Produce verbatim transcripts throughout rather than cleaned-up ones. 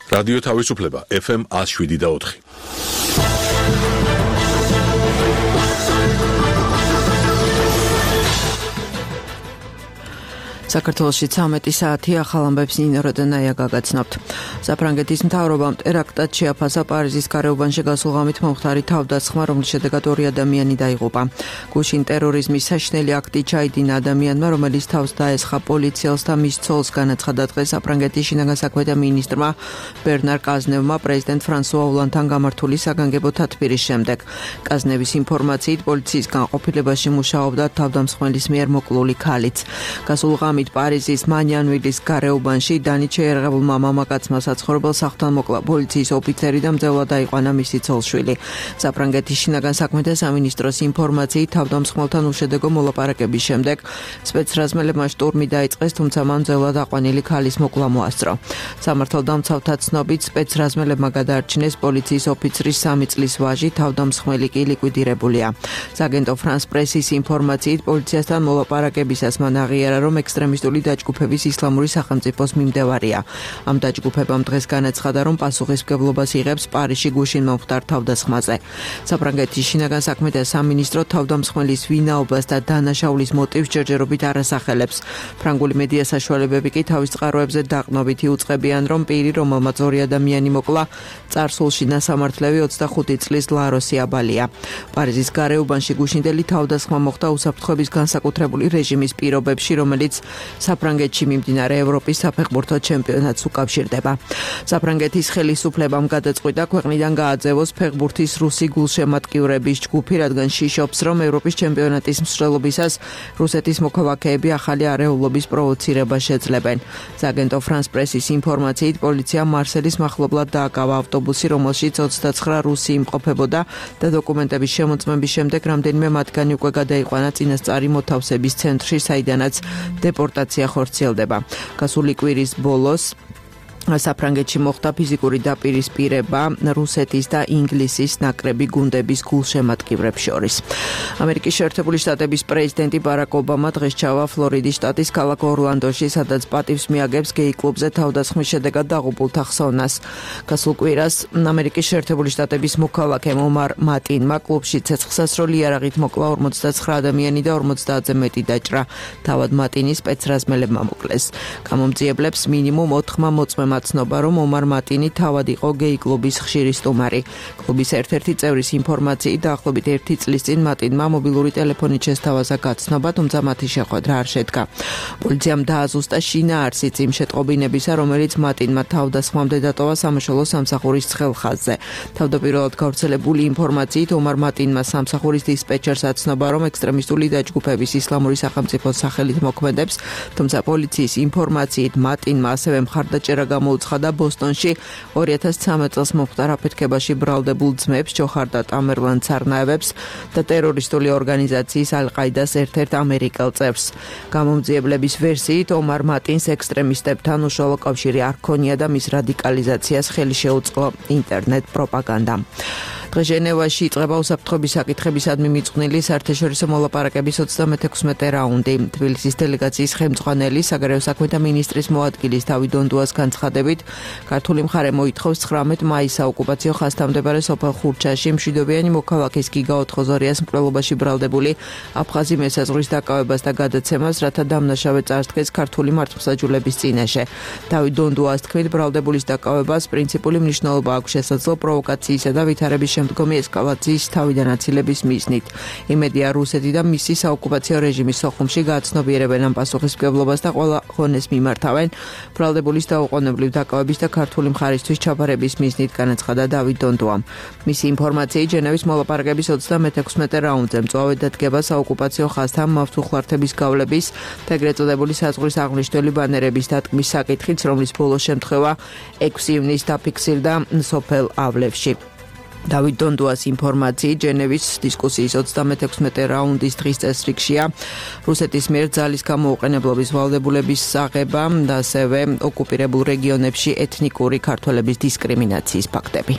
რადიო თავისუფლება ეფ ემ one oh seven და four. საქართველოში ცამეტი საათი ახალ ამბებს ნინო როდენაია გაგაცნობთ. საფრანგეთის მთავრობამ ტერაქტად შეაფასა პარიზის გარეუბანში გასულ ღამით მომხდარი თავდასხმა, რომლის შედეგად ორი ადამიანი დაიღუპა. გუშინ ტერორიზმის საშინელი აქტი ჩაიდინა ადამიანმა, რომელიც თავს დაესხა პოლიციელს და მის ცოლს, განაცხადა დღეს საფრანგეთის შინაგან საქმეთა მინისტრმა ბერნარ კაზნევმა პრეზიდენტ ფრანსუა ოლანდთან გამართული საგანგებო თათბირის შემდეგ. კაზნევის ინფორმაციით პოლიციის განყოფილებაში მუშაობდა თავდამსხმელის მიერ მოკლული ქალიც. გასულ ღამით პარიზის მანიანვილის გარეუბანში დანით შეერაღებულმა მამაკაცმა საცხოვრებელ სახლთან მოკლა პოლიციის ოფიცერი და მძევლად დაიყვანა მისი ცოლ-შვილი. საფრანგეთის შინაგან საქმეთა სამინისტროს ინფორმაციით თავდამსხმელთან უშედეგო მოლაპარაკების შემდეგ სპეცრაზმელებმა შტურმი დაიწყეს, თუმცა მან მძევლად აყვანილი ქალის მოკლა მოასწრო. სამართალდამცავთა ცნობით სპეცრაზმელებმა გადაარჩინეს პოლიციის ოფიცრის სამი წლის ვაჟი, თავდამსხმელი კი ლიკვიდირებულია. საგენტო ფრანს პრესის ინფორმაციით პოლიციასთან მოლაპარაკებისას მან აღიარა, რომ ექსტრემისტული დაჯგუფების ისლამური სახელმწიფოს მიმდევარია. ამ დაჯგუფებამ დღეს განაცხადა, რომ პასუხისმგებლობას იღებს პარიზში გუშინ მომხდარ თავდასხმაზე. საფრანგეთის შინაგან საქმეთა სამინისტრო თავდამსხმელის ვინაობას და დანაშაულის მოტივს ჯერჯერობით არ ასახელებს. ფრანგული მედია საშუალებები კი თავის წყაროებზე დაყრდნობით იუწყებიან, რომ პირი, რომელმაც ორი ადამიანი მოკლა, წარსულში ნასამართლევი ოცდახუთი წლის ლაროსი აბალია. პარიზის გარეუბანში გუშინდელი თავდასხმა მოხდა უსაფრთხოების განსაკუთრებული რეჟიმის პირობებში, რომელიც საფრანგეთში მიმდინარე ევროპის საფეხბურთო ჩემპიონატს უკავშირდება. საფრანგეთის ხელისუფლებამ გადაწყვიტა ქვეყნიდან გააძევოს ფეხბურთის რუსი გულშემატკივრების ჯგუფი, რადგან შიშობს, რომ ევროპის ჩემპიონატის მსვლელობისას რუსეთის მოქალაქეები ახალი არეულობის პროვოცირებას შეძლებენ. საგენტო ფრანს პრესის ინფორმაციით პოლიციამ მარსელის მახლობლად დააკავა ავტობუსი, რომელშიც ოცდაცხრა რუსი იმყოფებოდა და დოკუმენტების შემოწმების შემდეგ რამდენიმე მათგანი უკვე გადაიყვანა წინასწარი მოთავსების ცენტრში, საიდანაც დეპორტაცია ხორციელდება. გასული კვირის ბოლოს საფრანგეთში მოხდა ფიზიკური დაპირისპირება რუსეთის და ინგლისის ნაკრები გუნდების გულშემატკივრებს შორის. ამერიკის შეერთებული შტატების პრეზიდენტი ბარაკ ობამა დღეს ჩავა ფლორიდის შტატის ქალაქ ორლანდოში, სადაც პატივს მიაგებს გეი კლუბზე თავდასხმის შედეგად დაღუპულთა ხსოვნას. გასულ კვირას ამერიკის შეერთებული შტატების მოქალაქემ ომარ მატინმა კლუბში ცეცხლსასროლი იარაღით მოკლა ორმოცდაცხრა ადამიანი და ორმოცდაათზე მეტი დაჭრა. თავად მატინი სპეცრაზმელებმა მოკლეს. გამომძიებლებს მინიმუმ ოთხმა მოწმემა ცნობა, რომ ომარ მატინი თავად იყო გეი კლუბის ხშირი სტუმარი. კლუბის ერთ-ერთი წევრის ინფორმაციით დაახლოებით ერთი წლის წინ მატინმა მობილური ტელეფონით შესთავაზა გაცნობა, თუმცა მათი შეხვედრა არ შედგა. პოლიციამ დააზუსტა შინაარსიც იმ შეტყობინებისა, რომელიც მატინმა თავდასხმამდე დატოვა სამაშველო სამსახურის ცხელ ხაზზე. თავდაპირველად გავრცელებული ინფორმაციით ომარ მატინმა სამსახურის დისპეჩერს აცნობა, რომ ექსტრემისტული დაჯგუფების ისლამური სახელმწიფოს სახელით მოქმედებს, თუმცა პოლიციის ინფორმაციით მატინმა ასევე მხარდაჭერა მოუცხადა ბოსტონში ორი ათას ცხრამეტ წელს მომხდარ აფეთქებაში ბრალდებულ ძმებს, ჯოჰარ და ტამერლან ცარნაევებს და ტერორისტული ორგანიზაციის ალ-ყაიდას ერთ-ერთ ამერიკელ წევრს. გამომძიებლების ვერსიით ომარ მატინს ექსტრემისტებთან უშუალო კავშირი არ ჰქონია და მის რადიკალიზაციას ხელი შეუწყო ინტერნეტ პროპაგანდამ. დღეს ჟენევაში იწყება უსაფრთხოების საკითხებისადმი მიწყვნილი საერთაშორისო მოლაპარაკების ოცდამეექვსმეტე რაუნდი. თბილისის დელეგაციის ხელმძღვანელი საგარეო საქმეთა მინისტრის მოადგილის დავით დონდუას განცხადებით, ქართული მხარე მოითხოვს ცხრამეტ მაისს საოკუპაციო ხაზთამდებარე სოფელ ხურჩაში მშვიდობიანი მოქალაქის გიგა ოთხოზორიას მკვლელობაში ბრალდებული აფხაზი მესაზღვრის დაკავებას და გადაცემას, რათა დამნაშავე წარსდგეს ქართული მართლმსაჯულების წინაშე. დავით დონდუას თქმით, ბრალდებულის დაკავებას პრინციპული მნიშვნელობა აქვს შესაძლო პროვოკაციისა და ვითარების შემდგომი ესკალაციის თავიდან აცილების მიზნით. იმედია რუსეთი და მისი საოკუპაციო რეჟიმის სოხუმში გააცნობიერებენ ამ პასუხისმგებლობას და ყველა ხონეს მიმართავენ ბრალდებულის დაუყოვნებლივ დაკავების და ქართული მხარისთვის ჩაბარების მიზნით, განაცხადა დავით დონდუამ. მისი ინფორმაციით ჟენევის მოლაპარაკების ოცდამეექვსმეტე რაუნდზე მწვავედ დადგება საოკუპაციო ხაზთან მავთუხლართების გავლების და ეგრეთ წოდებული საზღვრის აღნიშნული ბანერების დატკმის საკითხიც, რომლის ბოლო შემთხვევა ექვსი ივნისს დაფიქსირდა სოფელ ავლევში. დავით დონდუას ინფორმაციით ჟენევის დისკუსიის ოცდამეექვსმეტე რაუნდის დღის წესრიგშია რუსეთის მიერ ძალის გამოუყენებლობის ვალდებულების აღება და ასევე ოკუპირებულ რეგიონებში ეთნიკური ქართველების დისკრიმინაციის ფაქტები.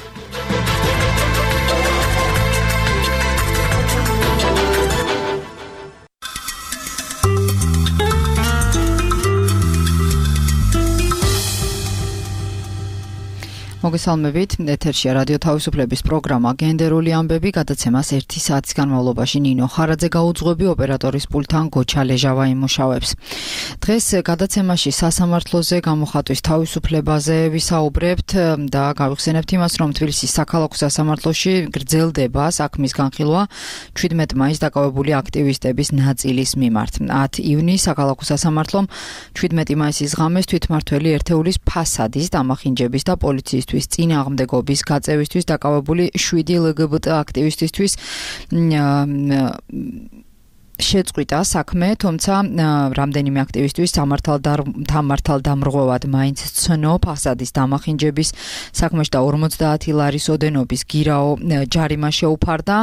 მოგესალმებით. ეთერშია რადიო თავისუფლების პროგრამა გენდერული ამბები, გადაცემას ერთი საათის განმავლობაში ნინო ხარაძე გაუძღვები, ოპერატორის პულტთან გოჩა ლეჟავა იმუშავებს. დღეს გადაცემაში სასამართლოზე გამოხატვის თავისუფლებაზე ვისაუბრებთ და გავიხსენებთ იმას, რომ თბილისის საქალაქო სასამართლოში გრძელდება საქმის განხილვა შვიდმეტ მაისს დაკავებული აქტივისტების ნაწილის მიმართ. ათი ივნისს საქალაქო სასამართლომ შვიდმეტი მაისის ღამეს თვითმმართველი ერთეულის ფასადის დამახინჯების და პოლიციისთვის წინააღმდეგობის გაწევისთვის დაკავებული შვიდი ლგბტ აქტივისტისთვის შეწყვიტა საქმე, თუმცა რამდენიმე აქტივისტვის სამართალ დამრღვევად მაინც ცნო ფასადის დამახინჯების საქმეში და ორმოცდაათი ლარის ოდენობის გირაო ჯარიმა შეუფარდა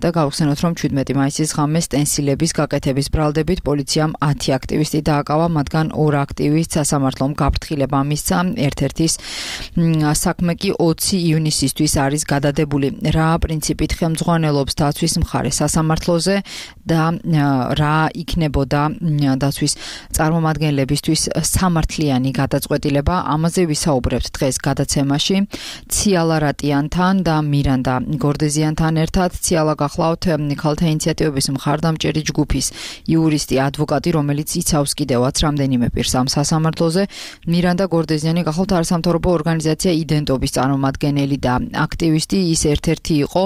და გავხსენოთ, რომ შვიდმეტი მაისის ღამეს სტენსილების გაკეთების ბრალდებით პოლიციამ ათი აქტივისტი დააკავა, მათგან ორ აქტივისტს სასამართლომ გაფრთხილება მისცა, ერთ-ერთის საქმე კი ოცი ივნისისთვის არის გადადებული. რა პრინციპით ხელმძღვანელობს დაცვის მხარე სასამართლოზე და რა იქნებოდა დაცვის წარმომადგენლებისთვის სამართლიანი გადაწყვეტილება, ამაზე ვისაუბრებთ დღეს გადაცემაში ციალა რატიანთან და მირანდა გორდეზიანთან ერთად. ციალა გახლავთ ქალთა ინიციატივების მხარდამჭერი ჯგუფის იურისტი, ადვოკატი, რომელიც იცავს კიდევაც რამდენიმე პირს ამ სასამართლოზე. მირანდა გორდეზიანი გახლავთ არასამთავრობო ორგანიზაცია იდენტობის წარმომადგენელი და აქტივისტი, ის ერთ-ერთი იყო,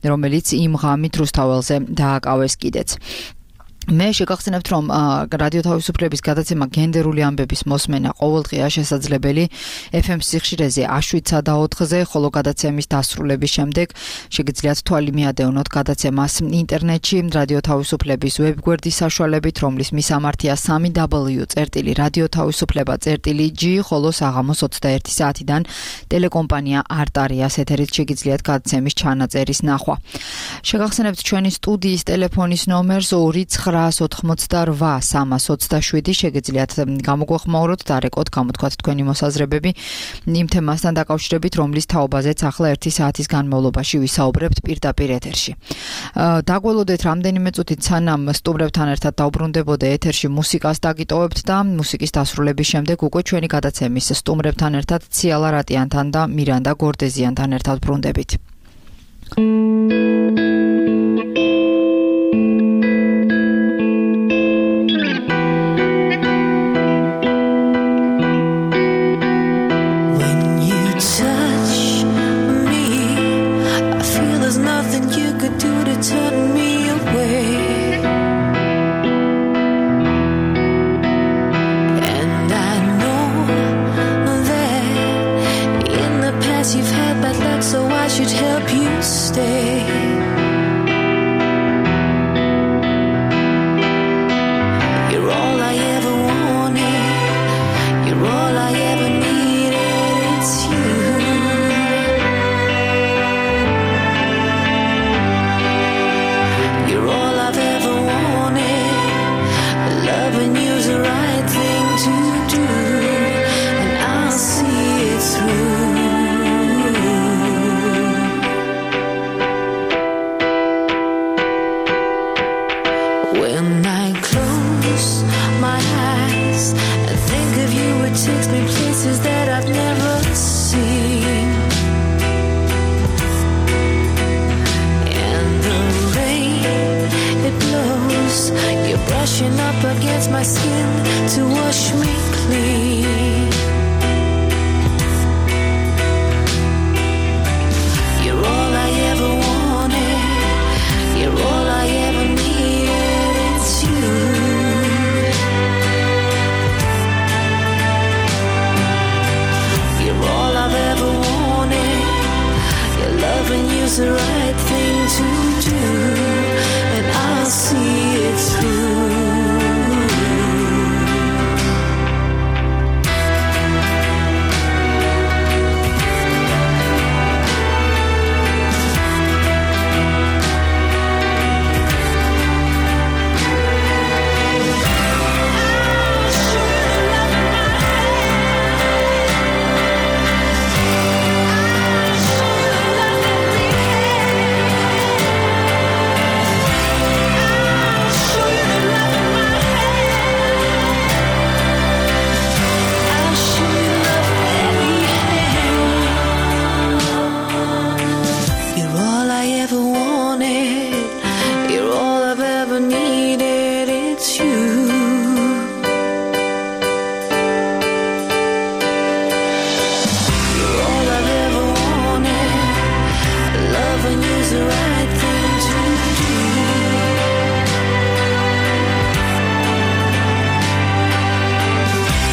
რომელიც იმ ღამით რუსთაველზე დააკავეს კიდეც. მე შეგახსენებთ, რომ რადიო თავისუფლების გადაცემა გენდერული ამბების მოსმენა ყოველდღეა შესაძლებელი ეფ ემ სიხშირეზე შვიდსა და ოთხზე, ხოლო გადაცემის დასრულების შემდეგ შეგიძლიათ თვალი მიადევნოთ გადაცემას ინტერნეტში რადიო თავისუფლების ვებგვერდის საშუალებით, რომლის მისამართია სამი დაბლიუ წერტილი რადიო თავისუფლება წერტილი ჯი, ხოლო საღამოს ოცდაერთი საათიდან ტელეკომპანია არტარიას ეთერით შეგიძლიათ გადაცემის ჩანაწერის ნახვა. შეგახსენებთ ჩვენი სტუდიის ტელეფონის ნომერს ორი ცხრა ოთხმოცდარვა სამას ოცდაშვიდი, შეგიძლიათ გამოგვეხმაუროთ და რეკოთ გამოთქვათ თქვენი მოსაზრებები იმ თემასთან დაკავშირებით, რომლის თაობაზეც ახლა ერთი საათის განმავლობაში ვისაუბრებთ პირდაპირ ეთერში. დაგველოდეთ რამდენიმე წუთით, სანამ სტუმრებთან ერთად დავბრუნდებოდე ეთერში, მუსიკას დაგიტოვებთ და მუსიკის დასრულების შემდეგ უკვე ჩვენი გადაცემის სტუმრებთან ერთად ციალა რატიანთან და მირანდა გორდეზიანთან ერთად ბრუნდებით. ever needed, it's you. You're all I've ever wanted. Love when you's the right thing to do.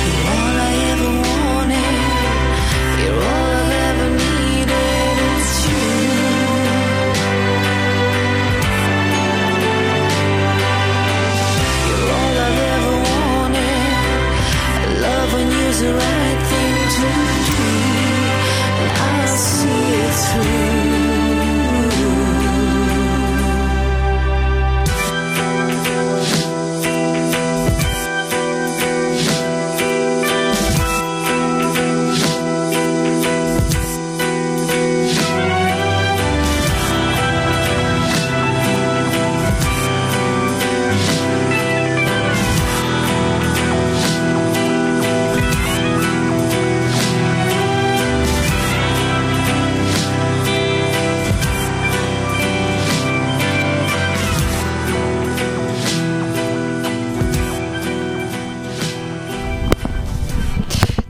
You're all I ever wanted. You're all I've ever needed, it's you. The right thing to do, and I'll see it through.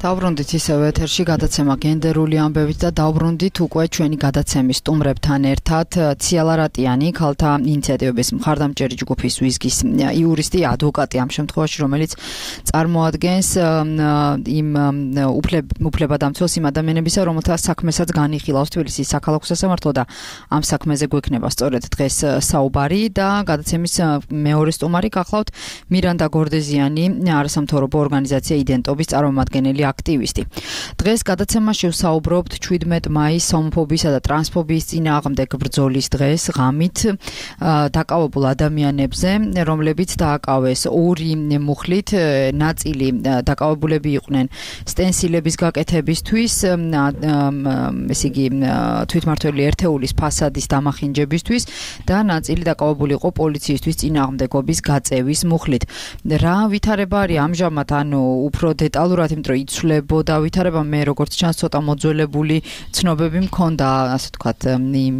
დავბრუნდით ისევ ეთერში გადაცემა გენდერული ამბებით და დავბრუნდით უკვე ჩვენი გადაცემის სტუმრებთან ერთად ციალა რატიანი, ქალთა ინიციატივების მხარდამჭერი ჯგუფის ვიზგის იურისტი, ადვოკატი ამ შემთხვევაში, რომელიც წარმოადგენს იმ უფლებადამცველს იმ ადამიანებისა, რომელთა საქმესაც განიხილავს თბილისის საქალაქო სასამართლო და ამ საქმეზე გვექნება სწორედ დღეს საუბარი და გადაცემის მეორე სტუმარი გახლავთ მირანდა გორდეზიანი, არასამთავრობო ორგანიზაცია იდენტობის წარმომადგენელი აქტივისტი. დღეს გადაცემაში ვსაუბრობთ შვიდმეტ მაისს ჰომოფობიისა და ტრანსფობიის წინააღმდეგ ბრძოლის დღეს ღამით დაკავებულ ადამიანებზე, რომლებიც დააკავეს ორი მუხლით, ნაწილი დაკავებულები იყვნენ სტენსილების გაკეთებისთვის, ესე იგი თვითმმართველი ერთეულის ფასადის დამახინჯებისთვის და ნაწილი დაკავებული იყო პოლიციისთვის წინააღმდეგობის გაწევის მუხლით. რა ვითარება არის ამჟამად, ანუ უფრო დეტალურად, იმიტომ რომ იცვლებოდა ვითარება, მე როგორც ჩანს ცოტა მოძველებული ცნობები მქონდა, ასე ვთქვათ,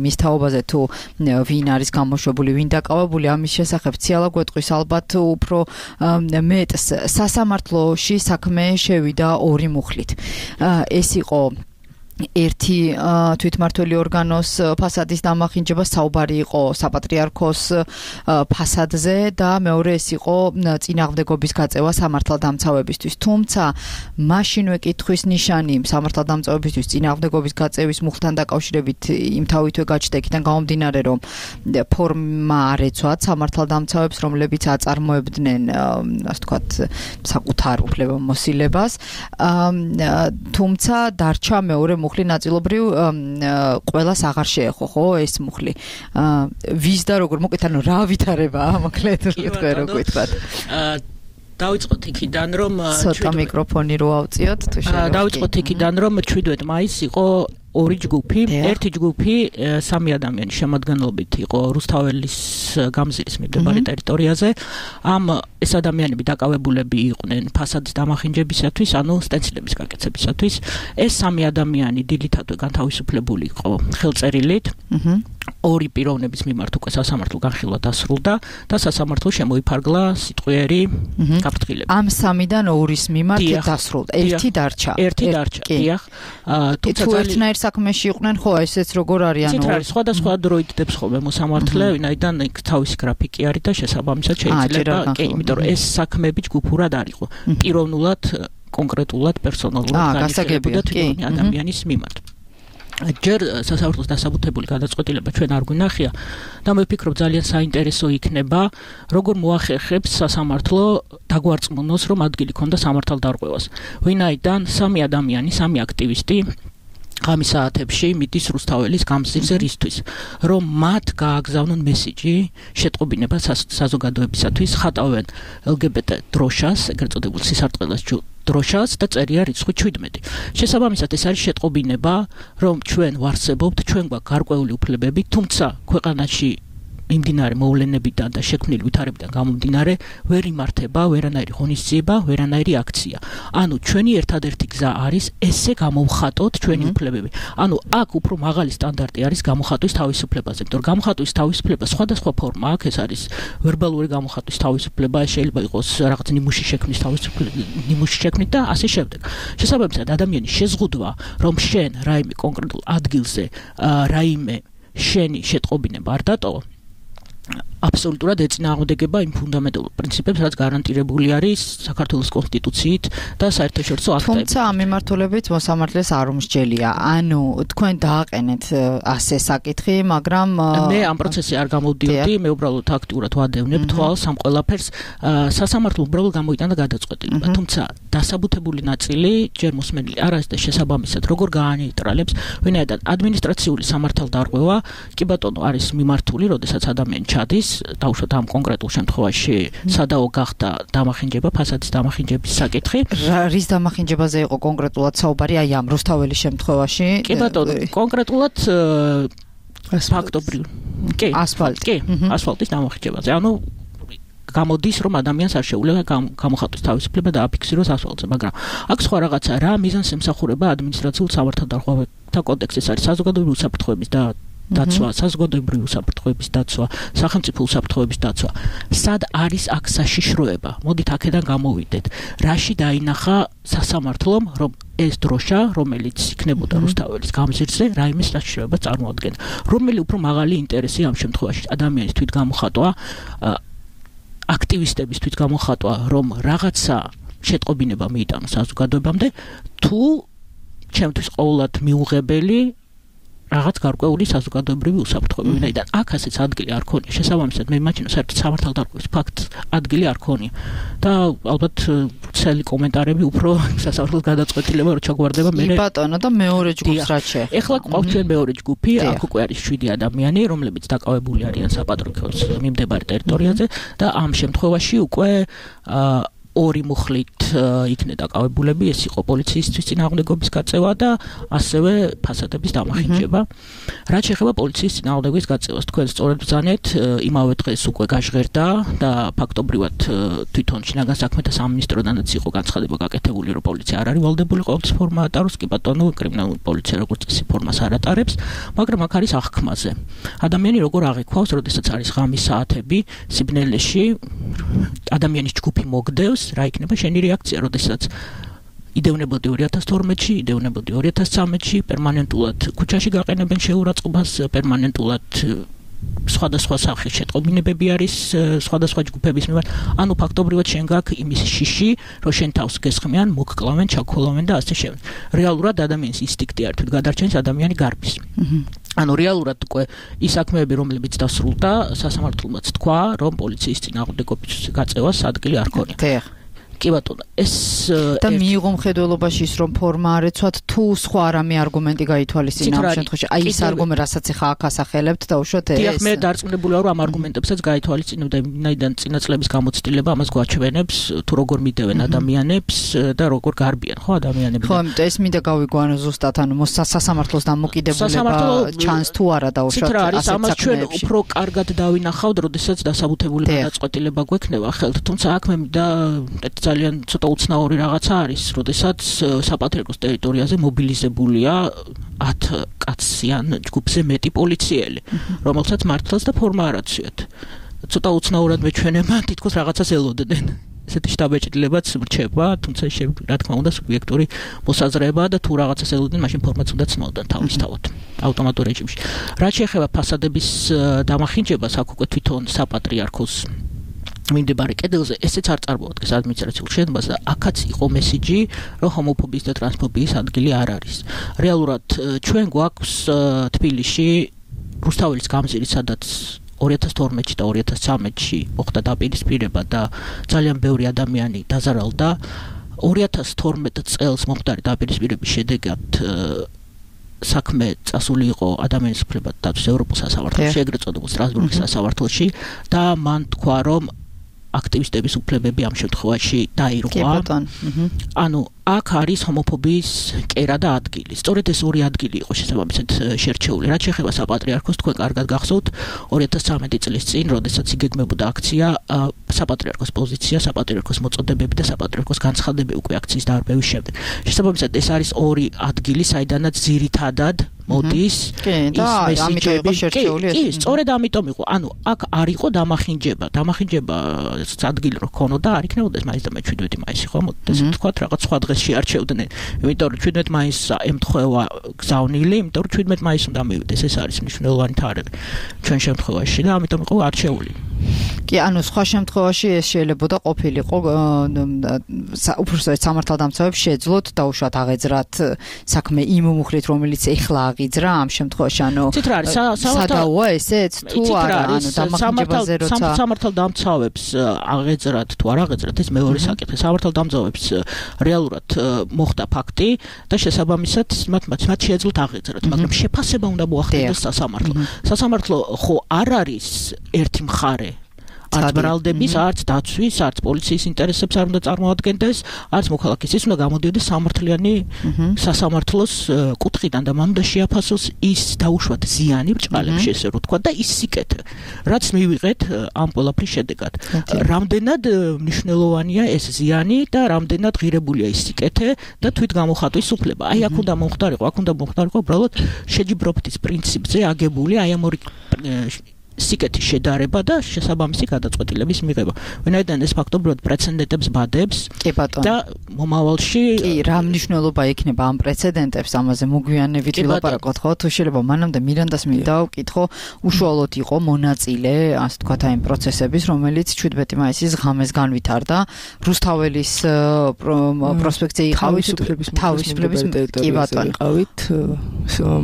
მის თაობაზე თუ ვინ არის გამოშვებული, ვინ დაკავებული, ამის შესახებ ციალა გვეტყვის ალბათ უფრო მეტს. სასამართლოში საქმე შევიდა ორი მუხლით. ეს იყო ერთი თვითმმართველი ორგანოს ფასადის დამახინჯება, საუბარი იყო საპატრიარქოს ფასადზე და მეორე ეს იყო წინააღმდეგობის გაწევა სამართალდამცავებისთვის. თუმცა მაშინვე კითხვის ნიშანი სამართალდამცავებისთვის წინააღმდეგობის გაწევის მუხლთან დაკავშირებით იმ თავითვე გაჩნდა იქიდან გამომდინარე, რომ ფორმა არ ეცვათ სამართალდამცავებს, რომლებიც აწარმოებდნენ, ასე ვთქვათ, საკუთარ უფლებამოსილებას. თუმცა დარჩა მეორე მუხლი ნაწილობრივ ყველას აღარ შეეხო, ხო, ეს მუხლი. ვის და როგორ მოკეთ, ანუ რა ვითარებაა, მოკლედ თქვენ რო გითხრათ. დავიწყოთ იქიდან, რომ ცოტა მიკროფონი რო ავწიოთ, თუ შეიძლება. დავიწყოთ იქიდან, რომ შვიდმეტ მაისს იყო ორი ჯგუფი, ერთი ჯგუფი სამი ადამიანის შემადგენლობით იყო რუსთაველის გამზირის მიმდებარე ტერიტორიაზე. ამ ეს ადამიანები დაკავებულები იყვნენ ფასადის დამახინჯებისათვის, ანუ სტენსილების გაკეთებისათვის. ეს სამი ადამიანი დილითათვე განთავისუფლებული იყო ხელწერილით. ორი პიროვნების მიმართ უკვე სასამართლო განხილვა დასრულდა და სასამართლო შემოიფარგლა სიტყვიერი გაფრთხილებით. ამ სამიდან ორის მიმართ დასრულდა. ერთი დარჩა. ერთი დარჩა. დიახ. თუმცა ერთნაირ საქმეში იყვნენ, ხო, ესეც როგორ არის, ანუ ცით არის, სხვადასხვა დროით დებს ხოლმე მოსამართლე, ვინაიდან თავისი გრაფიკი არის და შესაბამისად შეიძლება, კი, იმიტომ რომ ეს საქმეები ჯგუფურად არ იყო. პიროვნულად, კონკრეტულად, პერსონალურად განიხილებოდა თვითონ ადამიანის მიმართ. ჯერ სასამართლოს დასაბუთებული გადაწყვეტილება ჩვენ არ გვინახია და მე ვფიქრობ ძალიან საინტერესო იქნება, როგორ მოახერხებს სასამართლო დაგვარწმუნოს, რომ ადგილი ქონდა სამართალდარღვევას. ვინაიდან სამი ადამიანი, სამი აქტივისტი ღამის საათებში მიდის რუსთაველის გამზირზე რისთვის, რომ მათ გააგზავნონ მესიჯი შეტყობინება საზოგადოებისათვის, ხატავენ ელგებეტე დროშას, ეგრეთ წოდებულ სისარტყელას დროშას და წერია რიცხვი შვიდმეტი. შესაბამისად ეს არის შეტყობინება, რომ ჩვენ ვარსებობთ, ჩვენ გვაქვს გარკვეული უფლებები, თუმცა ქვეყანაში იმდინარე მოვლენებიდან და შექმნილი ვითარებიდან გამომდინარე ვერ იმართება ვერანაირი ღონისძიება, ვერანაირი აქცია. ანუ ჩვენი ერთადერთი გზა არის ესე გამოვხატოთ ჩვენი უფლებები. ანუ აქ უფრო მაღალი სტანდარტი არის გამოხატვის თავისუფლებაზე. იმიტომ რომ გამოხატვის თავისუფლება სხვადასხვა ფორმა აქვს, ეს არის ვერბალური გამოხატვის თავისუფლება, შეიძლება იყოს რაღაც ნიმუში შექმნის თავისუფლება, ნიმუში შექმნით და ასე შემდეგ. შესაბამისად, ადამიანის შეზღუდვა, რომ შენ რაიმე კონკრეტულ ადგილზე რაიმე შენი შეტყობინება არ დატოვა, აბსოლუტურად ეწინააღმდეგება იმ ფუნდამენტურ პრინციპებს, რაც გარანტირებული არის საქართველოს კონსტიტუციით და საერთაშორისო აქტებით. თუმცა ამ მიმართულებით მოსამართლეს არ უმსჯელია. ანუ თქვენ დააყენეთ ასე საკითხი, მაგრამ მე ამ პროცესში არ გამოვდიოდი, მე უბრალოდ აქტიურად ვადევნებ თვალს ამ ყველაფერს. სასამართლო უბრალოდ გამოიტანა გადაწყვეტილება, თუმცა დასაბუთებული ნაწილი ჯერ მოსმენილი არ არის და შესაბამისად როგორ გაანეიტრალებს, ვინაიდან ადმინისტრაციული სამართალდარღვევა კი ბატონო არის მიმართული, როდესაც ადამიანი ჩადის დაუშვათ ამ კონკრეტულ შემთხვევაში სადაო გახდა დამახინჯება, ფასადის დამახინჯების საკითხი. რის დამახინჯებაზე იყო კონკრეტულად საუბარი აი ამ რუსთაველის შემთხვევაში? კი ბატონო, კონკრეტულად ფაქტობრივ. კი, ასფალტი. კი, ასფალტის დამახინჯებაზე. ანუ გამოდის რომ ადამიანს არ შეუძლია გამოხატვის თავისუფლება დააფიქსიროს ასფალტზე, მაგრამ აქ სხვა რაღაცა რა მიზანს ემსახურება ადმინისტრაციულ სამართალდარღვევათა კოდექსის არის საზოგადოებრივი უსაფრთხოების და დაცვა, საზოგადოებრივი უსაფრთხოების დაცვა, სახელმწიფო უსაფრთხოების დაცვა. სად არის აქ საშიშროება? მოდით აქედან გამოვიდეთ. რაში დაინახა სასამართლომ, რომ ეს დროშა, რომელიც იქნებოდა რუსთაველის გამზირზე, რაიმე საშიშროება წარმოადგენდა. რომელი უფრო მაღალი ინტერესი ამ შემთხვევაში ადამიანის თვითგამოხატვა, აქტივისტების თვითგამოხატვა, რომ რაღაცა შეტყობინება მიიტანოს საზოგადოებამდე, თუ ჩემთვის ყოველად მიუღებელი რაღაც გარკვეული საზოგადოებრივი უსაფრთხოება, ვინაიდან აქ ასეც ადგილი არ ქონია. შესაბამისად, მე იმაჩნევ, საერთოდ სამართალდარღვევის ფაქტს ადგილი არ ქონია. და ალბათ ცელი კომენტარები უფრო სასამართლოს გადაწყვეტილება რო ჩაგვარდება მე. კი ბატონო, და მეორე ჯგუფს რა შეეხება? ეხლა ყავს ჩვენ მეორე ჯგუფი, აქ უკვე არის შვიდი ადამიანი, რომლებიც დაკავებული არიან საპატრიარქოს მიმდებარე ტერიტორიაზე და ამ შემთხვევაში უკვე ორი მუხლით იქნა დაკავებულები, ეს იყო პოლიციისთვის წინააღმდეგობის გაწევა და ასევე ფასადების დამახინჯება. რაც შეეხება პოლიციის წინააღმდეგობის გაწევას, თქვენ სწორედ ბრძანეთ, იმავე დღეს უკვე გაჟღერდა და ფაქტობრივად თვითონ შინაგან საქმეთა სამინისტროდანაც იყო განცხადება გაკეთებული, რომ პოლიცია არ არის ვალდებული ყოველთვის ფორმა ატაროს, კი ბატონო, კრიმინალური პოლიცია როგორც წესი ფორმას არ ატარებს, მაგრამ აქ არის აღქმაზე. ადამიანი როგორ აღიქვავს, როდესაც არის ღამის საათები, სიბნელეში ადამიანის ჯგუფი მოგდევს, რა იქნება შენი რეაქცია, როდესაც იდევნებოდი ორი ათას თორმეტში, იდევნებოდი ორი ათას ცხრამეტში, პერმანენტულად ქუჩაში გაყენებენ შეურაცხყოფას, პერმანენტულად სხვადასხვა სახის შეტყობინებები არის სხვადასხვა ჯგუფების მიმართ. ანუ ფაქტობრივად შენ გაქვს იმის შიში, რომ შენ თავს გესხმიან, მოგკლავენ, ჩაქოლავენ და ასე შემდეგ. რეალურად ადამიანის ინსტინქტი არ თვით გადარჩენის ადამიანი გარბის. ანუ რეალურად უკვე ის საქმეები, რომლებიც დასრულდა, სასამართლოც თქვა, რომ პოლიციის წინააღმდეგობის გაწევას ადგილი არ ქონია. კი ბატონო, ეს და მიიღო მხედველობაში ის რომ ფორმა არ ეცვათ, თუ სხვა რამე არგუმენტი გაითვალისწინა ამ შემთხვევაში. აი ეს არგუმენტი, რასაც ახლა აქ ასახელებთ და უშუალოდ ეს. დიახ, მე დარწმუნებული ვარ, რომ ამ არგუმენტებსაც გაითვალისწინებ და ვინაიდან წინაწლების გამოცდილება ამას გვაჩვენებს, თუ როგორ მიდევენ ადამიანებს და როგორ გარბიან, ხო, ადამიანები. ხო, ამიტომ ეს მინდა გავიგვანო ზუსტად, ანუ სასამართლოს დამოკიდებულება ჩანს თუ არა და უშუალოდ ასეთ ამას ჩვენ უფრო კარგად დავინახავთ, როდესაც დასაბუთებული გადაწყვეტილება გვექნება ხელთ, თუმცა აქ მე მინდა ძალიან ცოტა უცნაური რაღაცა არის, როდესაც საპატრიარქოს ტერიტორიაზე მობილიზებულია ათ კაციან ჯგუფზე მეტი პოლიციელი, რომელსაც მართლაც და ფორმა არ აცვიათ. ცოტა უცნაურად მეჩვენება, თითქოს რაღაცას ელოდნენ. ესეთი შტაბ-ეჭდილებაც რჩება, თუმცა რა თქმა უნდა სუბიექტური მოსაზრება და თუ რაღაცას ელოდნენ, მაშინ ფორმაც უნდა ცნოდნენ თავისთავად ავტომატურ რეჟიმში. რაც შეეხება ფასადების დამახინჯებას, აქ უკვე თვითონ საპატრიარქოს მიმდებარე კედელზე ესეც არ წარმოადგენს ადმინისტრაციულ შენობას და აქაც იყო მესიჯი, რომ ჰომოფობიის და ტრანსფობიის ადგილი არ არის. რეალურად ჩვენ გვაქვს თბილისში რუსთაველის გამზირი, სადაც ორი ათას თორმეტში და ორი ათას ცხრამეტში მოხდა დაპირისპირება და ძალიან ბევრი ადამიანი დაზარალდა. ორი ათას თორმეტ წელს მომხდარი დაპირისპირების შედეგად საქმე წასული იყო ადამიანის უფლებათა დაცვის ევროპულ სასამართლოში, ეგრეთ წოდებულ სტრასბურგის სასამართლოში და მან თქვა, რომ აქტივისტების უფლებები ამ შემთხვევაში დაირღვა. ანუ აქ არის ჰომოფობიის კერა და ადგილი. სწორედ ეს ორი ადგილი იყო შესაბამისად შერჩეული. რაც შეეხება საპატრიარქოს, თქვენ კარგად გახსოვთ ორი ათას ცხრამეტი წლის წინ, როდესაც იგეგმებოდა აქცია საპატრიარქოს პოზიცია, საპატრიარქოს მოწოდებები და საპატრიარქოს განცხადებები უკვე აქციის დარბევის შემდეგ. შესაბამისად ეს არის ორი ადგილი, საიდანაც ძირითადად მოდის და ამიტომ იყო შერჩეული ეს. კი, სწორედ ამიტომ იყო. ანუ აქ არ იყო დამახინჯება. დამახინჯება ადგილი რო ქონოდა, არ იქნებოდა მაინც და მეჩვიდმეტი მაისი ხო, მოდით ესე ვთქვათ, რაღაც სხვა დღეს შეარჩევდნენ. იმიტომ რომ ჩვიდმეტი მაისს ემთხვევა გზავნილი, იმიტომ რომ ჩვიდმეტი მაისს უნდა მივიდეს. ეს არის მნიშვნელოვანი თარიღი ჩვენ შემთხვევაში და ამიტომ იყო არჩეული. კი, ანუ სხვა შემთხვევაში ეს შეიძლებოდა ყოფილიყო უпростоეთ სამართალდამცავებს შეძლოთ დაუშვათ აღეძრათ საქმე იმ მუხლით, რომელიც ეხლა აღიძრა ამ შემთხვევაში, ანუ სადაოა ესეც თუ არა, ანუ დამახინჯებაზე როცა სამართალდამცავებს აღეძრათ თუ არ აღეძრათ ეს მეორე საკითხი. სამართალდამცავებს რეალურად მოხდა ფაქტი და შესაბამისად მათ მათ შეეძლოთ აღეძრათ, მაგრამ შეფასება უნდა მოახდინოს სასამართლო. სასამართლო ხო არ არის ერთი მხარე არც ბრალდების, არც დაცვის, არც პოლიციის ინტერესებს არ უნდა წარმოადგენდეს, არც მოქალაქის ის უნდა გამოდიოდეს სამართლიანი სასამართლოს კუთხიდან და მან უნდა შეაფასოს ის დაუშვათ ზიანი ბრჭყალებში, ესე რომ თქვა და ის სიკეთე, რაც მივიღეთ ამ ყველაფრის შედეგად. რამდენად მნიშვნელოვანია ეს ზიანი და რამდენად ღირებულია ის სიკეთე და თვით გამოხატვის უფლება. აი აქ უნდა მომხდარიყო, აქ უნდა მომხდარიყო უბრალოდ შეჯიბრობის პრინციპზე აგებული აი ამ ორი სიკეთის შედარება და შესაბამისი გადაწყვეტილების მიღება. ვინაიდან ეს ფაქტობრივად პრეცედენტებს ბადებს და მომავალში კი, რა მნიშვნელობა ექნება ამ პრეცედენტებს, ამაზე მოგვიანებით ვილაპარაკოთ, ხო? თუ შეიძლება მანამდე მირანდას მინდა ვკითხო, უშუალოდ იყო მონაწილე, ასე ვთქვათ, აი პროცესების, რომელიც შვიდმეტი მაისის ღამეს განვითარდა. რუსთაველის პროსპექტზე იყავით, თავისუფლების კი ბატონო იყავით,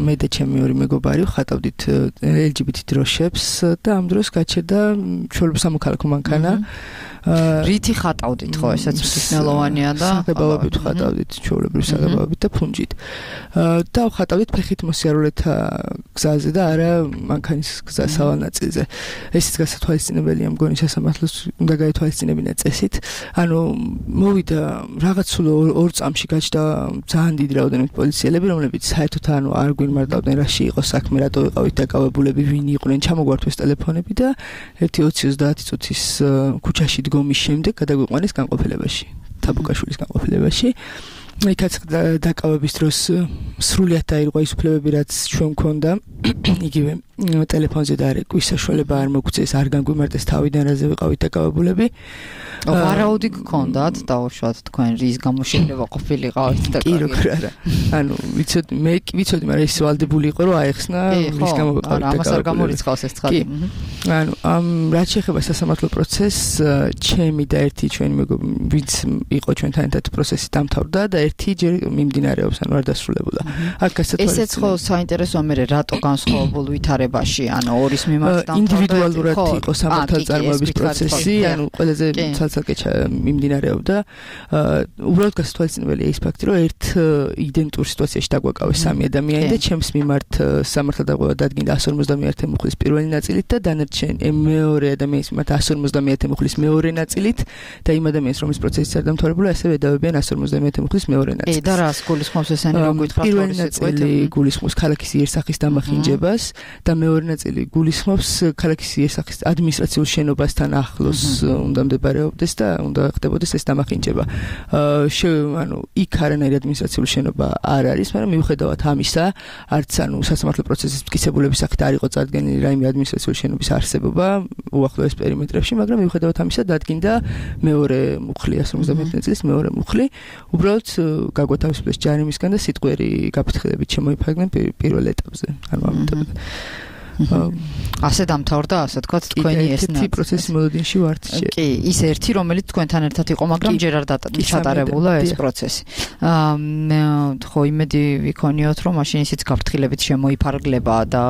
მე და ჩემი ორი მეგობარი ვხატავდით ელ ჯი ბი თი დროშებს და ამ დროს გაჩერდა ჩვეულებრივ სამოქალაქო მანქანა. რითი ხატავდით ხო, ესეც მნიშვნელოვანია და საღებავებით ხატავდით, ჩვეულებრივ საღებავებით და ფუნჯით. და ხატავდით ფეხით მოსიარულეთა გზაზე და არა მანქანის გზას სავალ ნაწილზე. ესეც გასათვალისწინებელია, მგონი სასამართლოს უნდა გაითვალისწინებინა წესით. ანუ მოვიდა რაღაც სულ ორ წამში გაჩნდა ძალიან დიდი რაოდენობით პოლიციელები, რომლებიც საერთოდ ანუ არ გვიმარტავდნენ რაში იყო საქმე, რატო ვიყავით დაკავებულები, ვინ იყვნენ, ჩამოგვართვეს ტელეფონები და ერთი ოცი ოცდაათი წუთის ქუჩაში დგომის შემდეგ გადაგვიყვანეს განყოფილებაში, თაბუკაშვილის განყოფილებაში. იქაც დაკავების დროს სრულიად დაირღვა ის უფლებები, რაც ჩვენ მქონდა. იგივე ტელეფონზე და არ ეკვის საშუალება არ მოგწეს, არ განგვიმარტეს თავიდან, რაზე ვიყავით დაკავებულები. ვარაუდი გქონდათ დაუშვათ თქვენ რის გამო შეიძლება ყოფილიყავით და კი როგორ არა. ანუ ვიცოდი, მე კი ვიცოდი, მაგრამ ის ვალდებული იყო, რომ აეხსნა რის გამო ვიყავით დაკავებული. ამას არ გამორიცხავს ეს ცხადი. ანუ ამ რაც შეეხება სასამართლო პროცესს, ჩემი და ერთი ჩვენი მეგობარი, ვინც იყო ჩვენთან ერთად პროცესი დამთავრდა და ერთი ჯერ მიმდინარეობს, ანუ არ დასრულებულა. აქ გასათვალისწინებელია. ესეც ხო საინტერესოა მე რატო განსხვავებულ ვითარებაში, ანუ ორის მიმართ დამთავრდა. ინდივიდუალურად იყო სამართალწარმოების პროცესი, ანუ ყველაზე ცალ-ცალკე მიმდინარეობდა. უბრალოდ გასათვალისწინებელია ის ფაქტი, რომ ერთ იდენტურ სიტუაციაში დაგვაკავეს სამი ადამიანი და ჩემს მიმართ სამართალდაყრდნობა დადგინდა εκατს ორმოცდამეერთე მუხლის პირველი ნაწილით და დანარჩენ მეორე ადამიანის მიმართ εκατს ორმოცდამეერთე მუხლის მეორე ნაწილით და იმ ადამიანს, რომლის პროცესიც არ დამთავრებულა, ასევე ედავებიან εκατს ორმოცდამეერთე მუხლის მეორე ნაწილს. კი, და რას გულისხმობს ესენი, რომ გითხრათ პირველი ნაწილი გულისხმობს ქალაქის იერსახის დამახინჯებას და მეორე ნაწილი გულისხმობს ქალაქის იერსახის ადმინისტრაციულ შენობასთან ახლოს უნდა მდებარეობდეს და უნდა ხდებოდეს ეს დამახინჯება. ანუ იქ არანაირი ადმინისტრაციული შენობა არ არის, მაგრამ მიუხედავად ამისა, არც ანუ სასამართლო პროცესის მტკიცებულების სახით არ იყო წარდგენილი რაიმე ადმინისტრაციული შენობის არსებობა უახლოეს პერიმეტრებში, მაგრამ მიუხედავად ამისა დადგინდა მეორე მუხლი, εκατს ორმოცდამეერთე ნაწილის მეორე მუხლი. უბრალოდ გაგვათავისუფლეს ჯარიმისგან და სიტყვიერი გაფრთხილებით შემოიფარგნენ პირველ ეტაპზე. ანუ ამ ეტაპზე. ასე დამთავრდა, ასე თქვათ, თქვენი ეს ერთი პროცესი მოლოდინში ვართ. კი, ის ერთი, რომელიც თქვენთან ერთად იყო, მაგრამ ჯერ არ ჩატარებულა ეს პროცესი. ხო, იმედი ვიქონიოთ, რომ მაშინ ისიც გაფრთხილებით შემოიფარგლება და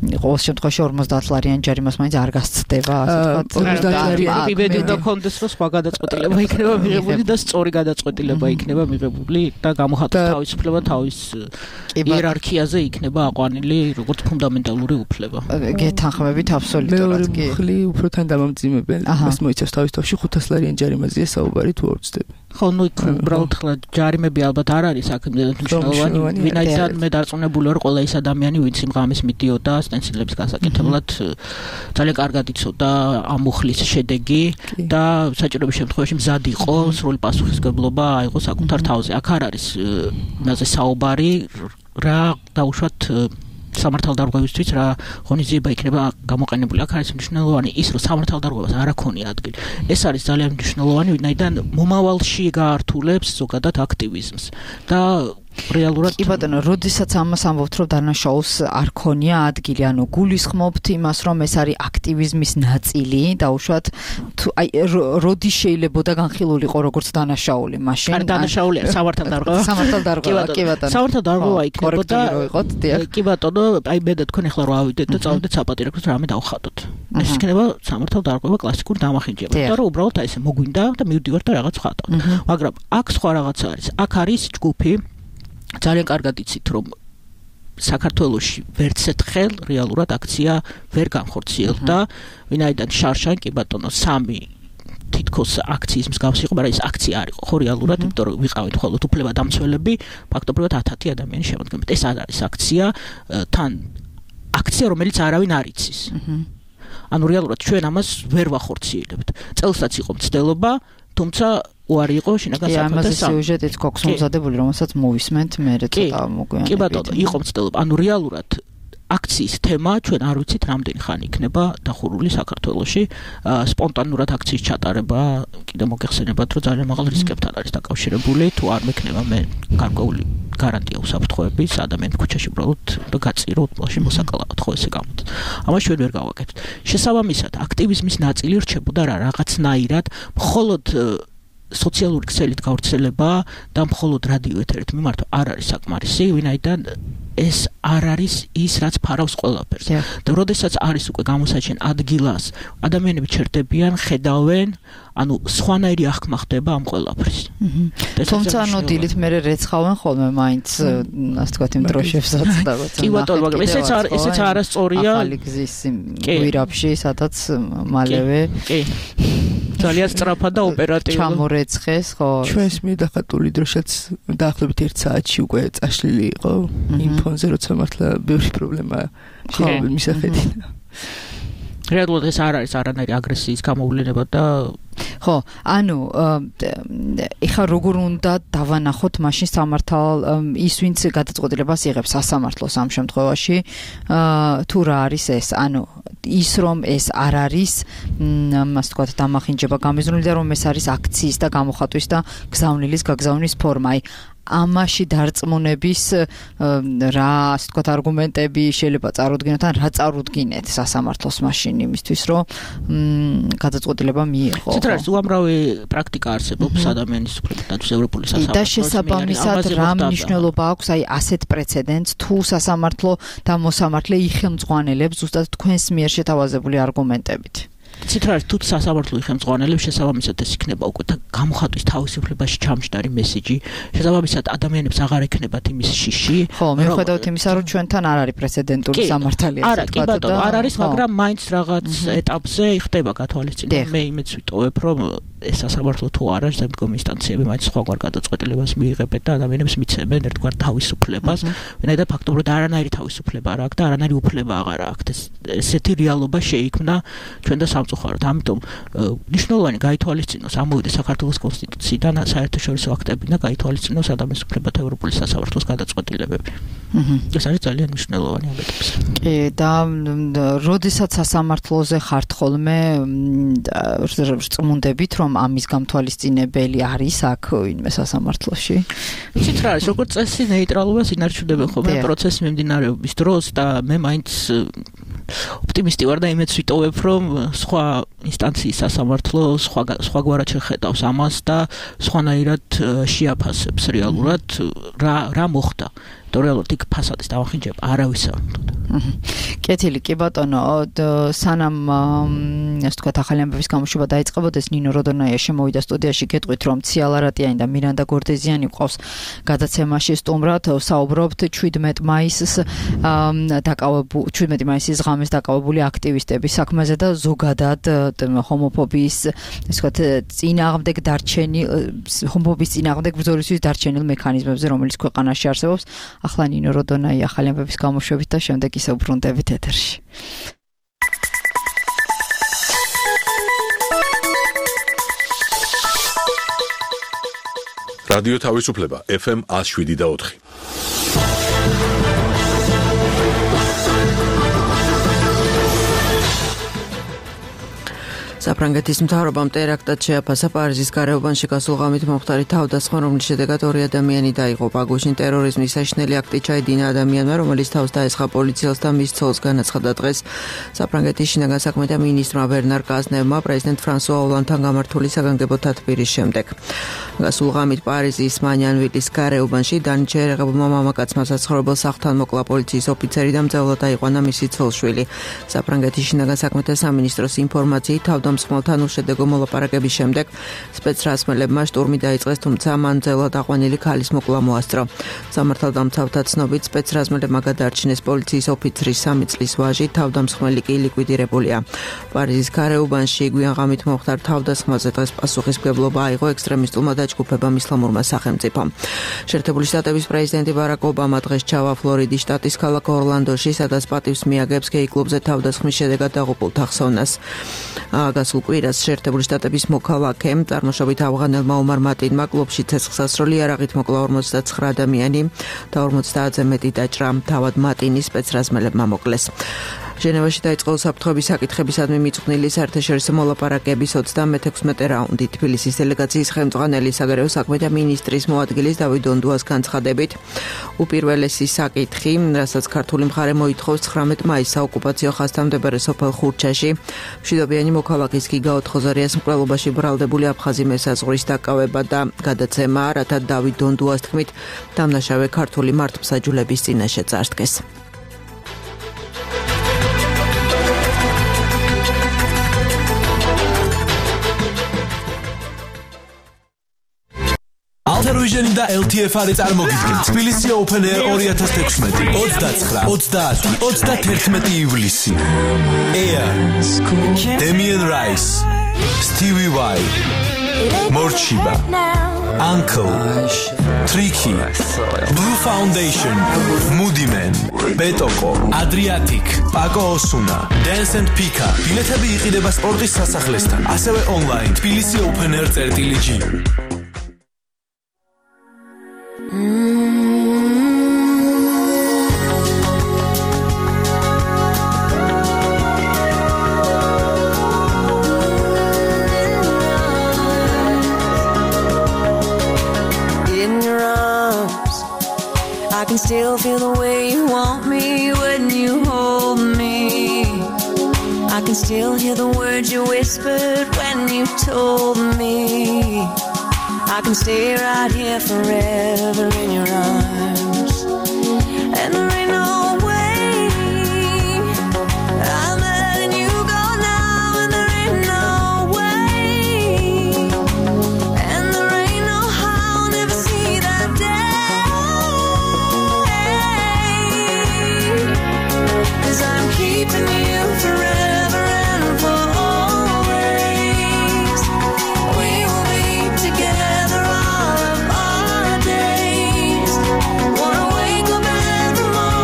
ყოველ შემთხვევაში ორმოცდაათ ლარიანი ჯარიმას მაინც არ გასცდება, ასე ვთქვათ. ორმოცდაათ ლარიანი იმედი უნდა კონდეს, რომ სხვა გადაწყვეტილება იქნება მიღებული და სწორი გადაწყვეტილება იქნება მიღებული და გამოხატვის თავისუფლება თავის იერარქიაზე იქნება აყვანილი როგორც ფუნდამენტალური უფლება. გეთანხმებით აბსოლუტურად კი. მეორე მხრივ უფრო თან დამამძიმებელ მას მოიცავს თავის თავში ხუთას ლარიანი ჯარიმაზეა საუბარი თუ არ ვწდები. ხო, ნუ უბრალოდ ხლა ჯარიმები ალბათ არ არის აქ მნიშვნელოვანი, ვინაიდან მე დარწმუნებული ვარ ყველა ის ადამიანი ვინც იმ ღამეს მიდიოდა სტენსილების გასაკეთებლად ძალიან კარგად იცოდა ამ მუხლის შედეგი და საჭიროების შემთხვევაში მზად იყო სრული პასუხისმგებლობა აიღო საკუთარ თავზე. აქ არ არის იმაზე საუბარი რა დაუშვათ სამართალდარღვევისთვის რა ღონისძიება იქნება გამოყენებული. აქ არის მნიშვნელოვანი ის, რომ სამართალდარღვევას არ აქონია ადგილი. ეს არის ძალიან მნიშვნელოვანი, ვინაიდან მომავალში გაართულებს ზოგადად აქტივიზმს და რეალურად კი ბატონო, როდესაც ამას ამბობთ, რომ დანაშაულს არ ქონია ადგილი, ანუ გულისხმობთ იმას, რომ ეს არის აქტივიზმის ნაწილი, დაუშვათ თუ აი როდი შეიძლებოდა განხილულიყო როგორც დანაშაული, მაშინ არ დანაშაული არის სამართალდარღვევა. სამართალდარღვევა, კი ბატონო. სამართალდარღვევა იქნებოდა კი ბატონო, აი მე და თქვენ ახლა რა ავიდეთ და წავიდეთ საპატიო რამე დავხატოთ. ეს იქნება სამართალდარღვევა კლასიკური დამახინჯება, იმიტომ რომ უბრალოდ აი ესე მოგვინდა და მივდივართ და რაღაც ვხატავთ. მაგრამ აქ სხვა რაღაც არის. აქ არის ჯგუფი ძალიან კარგად იცით, რომ საქართველოში ვერც ერთხელ რეალურად აქცია ვერ განხორციელდა, ვინაიდან შარშან კი ბატონო სამი თითქოს აქციის მსგავსი იყო, მაგრამ ეს აქცია არ იყო ხო რეალურად, იმიტომ რომ ვიყავით მხოლოდ უფლებადამცველები, ფაქტობრივად ათათი ადამიანი შემოდგებით. ეს არ არის აქცია, თან აქცია, რომელიც არავინ არ იცის. ანუ რეალურად ჩვენ ამას ვერ ვახორციელებთ. წელსაც იყო მცდელობა, თუმცა უარი იყო შინაგან საქმეთა ამაზე სიუჟეტიც გვაქვს მომზადებული, რომელსაც მოვისმენთ მე ცოტა მოგვიანებით. კი ბატონო, იყო მცდელობა. ანუ რეალურად აქციის თემა ჩვენ არ ვიცით რამდენი ხანი იქნება დახურული საქართველოში. სპონტანურად აქციის ჩატარება კიდე მოგეხსენებათ, რომ ძალიან მაღალ რისკებთან არის დაკავშირებული, თუ არ მექნება მე გარკვეული გარანტია უსაფრთხოების ადამიანს ქუჩაში უბრალოდ და გაწირო უთმოში მოსაკალავად, ხო ესე გამოდის. ამას ჩვენ ვერ გავაკეთებთ. შესაბამისად, აქტივიზმის ნაწილი რჩებოდა რა რაღაცნაირად, მხოლოდ სოციალური ქსელით გავრცელება და მხოლოდ რადიო ეთერით მიმართვა არ არის საკმარისი, ვინაიდან ეს არ არის ის, რაც ფარავს ყველაფერს. და როდესაც არის უკვე გამოსაჩენ ადგილას, ადამიანები ჩერდებიან, ხედავენ, ანუ სხვანაირი აღქმა ხდება ამ ყველაფრის. თუმცა ანუ დილით მე რეცხავენ ხოლმე მაინც, ასე ვთქვათ, იმ დროშებსაც და როცა. კი ბატონო, მაგრამ ესეც ესეც არასწორია. ახალი გზის გვირაბში, სადაც მალევე კი ძალიან სწრაფად და ოპერატიულად ჩამორეცხეს, ხო. ჩვენს მიდახატული დროშაც დაახლოებით ერთ საათში უკვე წაშლილი იყო იმ ფონზე, როცა მართლა ბევრი პრობლემაა შეგვიძლია მისახედი. რეალურად ეს არ არის არანაირი აგრესიის გამოვლენა და ხო, ანუ ეხა როგორ უნდა დავანახოთ მაშინ სამართალ ის ვინც გადაწყვეტილებას იღებს სასამართლოს ამ შემთხვევაში, თუ რა არის ეს, ანუ ის რომ ეს არ არის, ასე ვთქვათ, დამახინჯება გამიზნული და რომ ეს არის აქციის და გამოხატვის და გზავნილის გაგზავნის ფორმა. აი ამაში დარწმუნების რა, ასე ვთქვათ, არგუმენტები შეიძლება წარუდგინოთ, ან რა წარუდგინეთ სასამართლოს მაშინ იმისთვის, რომ გადაწყვეტილება მიიღო. ცოტა უამრავი პრაქტიკა არსებობს ადამიანის უფლებათა ევროპული სასამართლოს. და შესაბამისად რა მნიშვნელობა აქვს აი ასეთ პრეცედენტს, თუ სასამართლო და მოსამართლე იხელმძღვანელებს ზუსტად თქვენს მიერ შეთავაზებული არგუმენტებით. ციტრალის თუ სასამართლო იხელმძღვანელებს შესაბამისად ეს იქნება უკვე გამოხატვის თავისუფლებაში ჩამჯდარი მესიჯი. შესაბამისად ადამიანებს აღარ ექნებათ იმის შიში. ხო, მიუხედავად იმისა, რომ ჩვენთან არ არის პრეცედენტული სამართალია. არა, კი ბატონო, არ არის, მაგრამ მაინც რაღაც ეტაპზე ხდება გათვალისწინება. მე იმეც ვიტოვებ, რომ ეს სასამართლო თუ არა, შემდგომი ინსტანციები მაინც სხვაგვარ გადაწყვეტილებას მიიღებენ და ადამიანებს მიცემენ ერთგვარ თავისუფლებას. ვინაიდან ფაქტობრივად არანაირი თავისუფლება არ აქვს და არანაირი უფლება აღარ აქვს. ესეთი რეალობა შეიქმნა ჩვენ და სამწუხაროდ. ამიტომ მნიშვნელოვანი გაითვალისწინოს ამოვიდა საქართველოს კონსტიტუციიდან საერთაშორისო აქტები და გაითვალისწინოს ადამიანის უფლებათა ევროპული სასამართლოს გადაწყვეტილებები. ეს არის ძალიან მნიშვნელოვანი ამბები. კი, და როდესაც სასამართლოზე ხართ ხოლმე რწმუნდებით, რომ ამის გამთვალისწინებელი არის აქ ვინმე სასამართლოში? ვიცით რა არის, როგორც წესი ნეიტრალობას ინარჩუნებენ ხოლმე პროცესის მიმდინარეობის დროს და მე მაინც ოპტიმისტი ვარ და იმეც ვიტოვებ, რომ სხვა ინსტანციის სასამართლო სხვა სხვაგვარად შეხედავს ამას და სხვანაირად შეაფასებს რეალურად რა რა მოხდა. იმიტომ რეალურად იქ ფასადის დავახინჯება არავის არ უნდა. კეთილი, კი ბატონო, სანამ ასე თქვა ახალი ამბების გამოშვება დაიწყებოდეს, ნინო როდონაია შემოვიდა სტუდიაში, გეტყვით რომ ციალა რატიანი და მირანდა გორდეზიანი ყავს გადაცემაში სტუმრად, საუბრობთ შვიდმეტ მაისს დაკავებული შვიდმეტი მაისის ღამეს დაკავებული აქტივისტების საქმეზე და ზოგადად ჰომოფობიის ასე ვთქვათ წინააღმდეგ დარჩენილ ჰომოფობიის წინააღმდეგ ბრძოლისთვის დარჩენილ მექანიზმებზე, რომელიც ქვეყანაში არსებობს. ახლა ნინო როდონაია ახალი ამბების გამოშვებით და შემდეგ ისე უბრუნდებით ეთერში. რადიო თავისუფლება ეფ ემ one oh seven და four. საფრანგეთის მთავრობამ ტერაქტად შეაფასა პარიზის გარეუბანში გასულ ღამით მომხდარი თავდასხმა, რომლის შედეგად ორი ადამიანი დაიღუპა. გუშინ ტერორიზმის საშინელი აქტი ჩაედინა ადამიანმა, რომელიც თავს დაესხა პოლიციელს და მის ცოლს განაცხადა დღეს. საფრანგეთის შინაგან საქმეთა მინისტრმა ბერნარ კაზნევმა პრეზიდენტ ფრანსუა ოლანდთან გამართული საგანგებო თათბირის შემდეგ. გასულ ღამით პარიზის მანიანვილის გარეუბანში დანიჩე ერეღებულმა მამაკაცმა საცხოვრებელ სახლთან მოკლა პოლიციის ოფიცერი და მძევლად დაიყვანა მისი ცოლ-შვილი. საფრანგეთის შინაგან საქმეთა სამინისტროს ინფორმაციით თავდამსხმელთან უშედეგო მოლაპარაკების შემდეგ სპეცრაზმელებმა შტურმი დაიწყეს, თუმცა მან მძევლად აყვანილი ქალის მოკლა მოასწრო. სამართალდამცავთა ცნობით სპეცრაზმელებმა გადაარჩინეს პოლიციის ოფიცრის სამი წლის ვაჟი, თავდამსხმელი კი ლიკვიდირებულია. პარიზის გარეუბანში გვიან ღამით მომხდარ თავდასხმაზე დღეს პასუხისმგებლობა აიღო ექსტრემისტულმა დაჯგუფებამ ისლამურმა სახელმწიფომ. შეერთებული შტატების პრეზიდენტი ბარაკ ობამა დღეს ჩავა ფლორიდის შტატის ქალაქ ორლანდოში, სადაც პატივს მიაგებს გეი კლუბზე თავდასხმის შედეგად დაღუპულთა ხსოვნას. გასულ კვირას შეერთებული შტატების მოქალაქემ წარმოშობით ავღანელმა ომარ მატინმა კლუბში ცეცხლსასროლი იარაღით მოკლა ორმოცდაცხრა ადამიანი და ორმოცდაათზე მეტი დაჭრა. თავად მატინის სპეცრაზმელებმა მოკლეს. ჟენევაში დაიწყო უსაფრთხოების საკითხებისადმი მიძღვნილი საერთაშორისო მოლაპარაკების ოცდამეექვსმეტე რაუნდი. თბილისის დელეგაციის ხელმძღვანელი საგარეო საქმეთა მინისტრის მოადგილის დავით დონდუას განცხადებით, უპირველესი საკითხი, რასაც ქართული მხარე მოითხოვს ცხრამეტ მაისს საოკუპაციო ხაზთან მდებარე სოფელ ხურჩაში, მშვიდობიანი მოქალაქის გიგა ოთხოზარიას მკვლელობაში ბრალდებული აფხაზი მესაზღვრის დაკავება და გადაცემა, რათა დავით დონდუას თქმით, დამნაშავე ქართული მართლმსაჯულების წინაშე წარსდგეს. Altaruiženi და ელ თი ეფ არის წარმოგიდგენთ თბილისი Open Air two thousand sixteen ოცდაცხრა, ოცდაათი, ოცდათერთმეტი ივლისი. Air, Damien Rice, Stevie Vai, Morchiba, Uncle, Tricky, Blue Foundation, Moody Man, Betoko, Adriatic, Paco Osuna, Dance and Pika. ბილეთები იყიდება სპორტის სასახლესთან, ასევე online თბილისი Open Air წერტილი ჯი. I can still feel the way you want me when you hold me. I can still hear the words you whispered when you told me. I can stay right here forever in your arms. And there ain't no way I'm letting you go now. And there ain't no way. And there ain't no how I'll never see that day. 'Cause I'm keeping you forever and for always. We will be together all of our days. Wanna wake up every morning.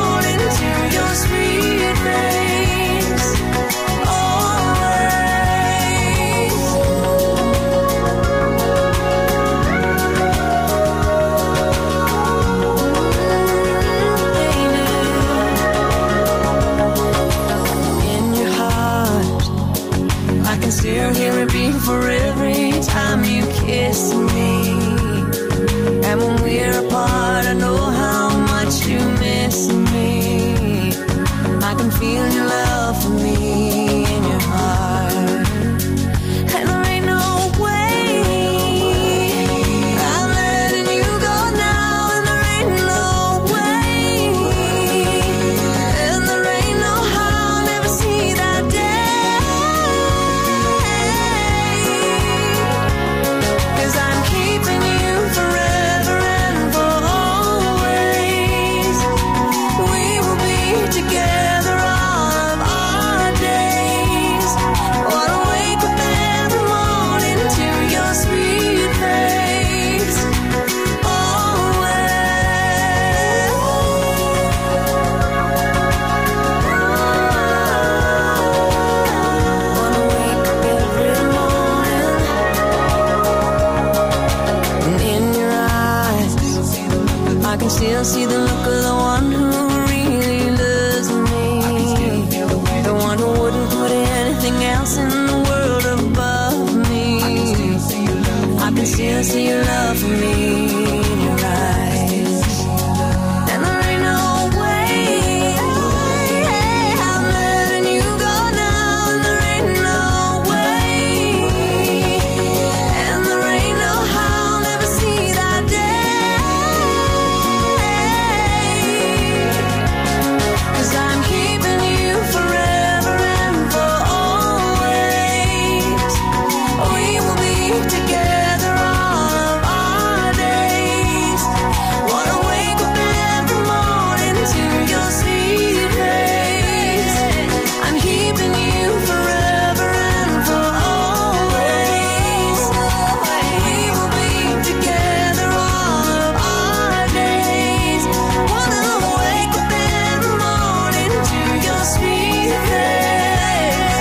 still see the look of the one who really loves me. The one who wouldn't put anything else in the world above me. I can still see your love for me in your eyes. And there ain't no way I'm letting you go now. And there ain't no way. And there ain't no how I'll never see that day. 'Cause I'm keeping you forever and for always. We will be together all of our days. Wanna wake up every morning to your sweet face. I'm keeping you forever and for always. We will be together all of our days. Wanna wake up every morning to your sweet face.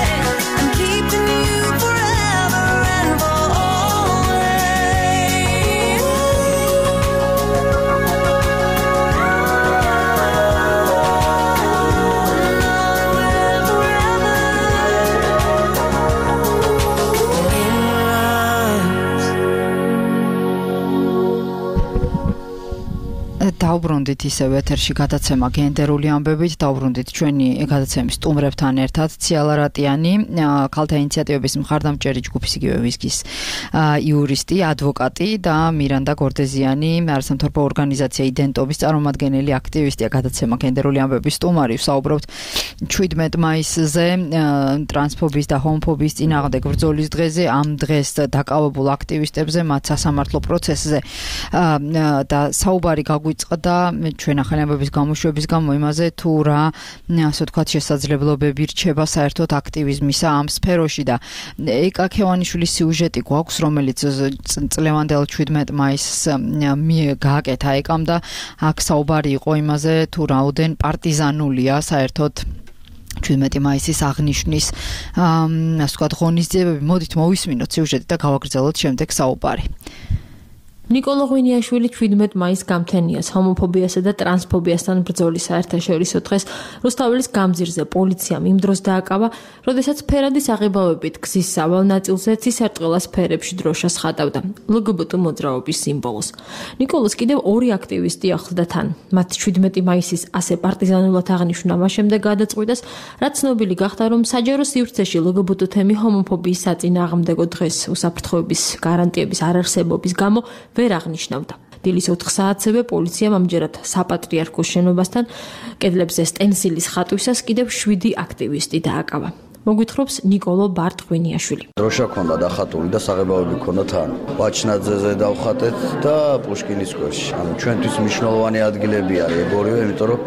I'm keeping you forever and for always. დავბრუნდით ისევ ეთერში გადაცემა გენდერული ამბებით, დავბრუნდით ჩვენი გადაცემის სტუმრებთან ერთად, ციალა რატიანი, ქალთა ინიციატივების მხარდამჭერი ჯგუფის იგივე ვისკის იურისტი, ადვოკატი და მირანდა გორდეზიანი, არასამთავრობო ორგანიზაცია იდენტობის წარმომადგენელი აქტივისტია, გადაცემა გენდერული ამბების სტუმარი. ვსაუბრობთ შვიდმეტ მაისზე, ტრანსფობიის და ჰომოფობიის წინააღმდეგ ბრძოლის დღეზე, ამ დღეს დაკავებულ აქტივისტებზე, მათ სასამართლო პროცესზე და საუბარი გაგვიწყდა ჩვენ ახალი ამბების გამოშვების გამო იმაზე თუ რა ასე ვთქვათ შესაძლებლობები რჩება საერთოდ აქტივიზმისა ამ სფეროში და ეკა ქევანიშვილის სიუჟეტი გვაქვს, რომელიც წლევანდელ შვიდმეტ მაისს გააკეთა ეკამ და აქ საუბარი იყო იმაზე თუ რაოდენ პარტიზანულია საერთოდ შვიდმეტი მაისის აღნიშვნის ასე ვთქვათ ღონისძიებები. მოდით მოვისმინოთ სიუჟეტი და გავაგრძელოთ შემდეგ საუბარი. ნიკოლო ღვინიაშვილი შვიდმეტ მაისს გამთენიას ჰომოფობიასა და ტრანსფობიასთან ბრძოლის საერთაშორისო დღეს რუსთაველის გამზირზე პოლიციამ იმ დროს დააკავა, როდესაც ფერადის აღებავებით გზის სავალ ნაწილზე ცისარტყელას ფერებში დროშას ხატავდა ლ გ ბ ტ მოძრაობის სიმბოლოს. ნიკოლოს კიდევ ორი აქტივისტი ახლდა თან. მათ შვიდმეტი მაისის ასე პარტიზანულად აღნიშვნა მას შემდეგ გადაწყვიტეს, რაც ცნობილი გახდა, რომ საჯარო სივრცეში ლ გ ბ ტ თემი ჰომოფობიის საწინააღმდეგო დღეს უსაფრთხოების გარანტიების არარსებობის გამო ვერ აღნიშნავდა. დილის ოთხ საათზე პოლიციამ ამჯერად საპატრიარქოს შენობასთან კედლებზე სტენსილის ხატვისას კიდევ შვიდი აქტივისტი დააკავა. მოგვითხრობს ნიკოლო ბარტ ღვინიაშვილი. დროშა ქონდა დახატული და საღებავები ქონდა თან. ბაჩნაძეზე დავხატეთ და პუშკინის სკვერში. ანუ ჩვენთვის მნიშვნელოვანი ადგილები არის ეგ ორივე, იმიტომ რომ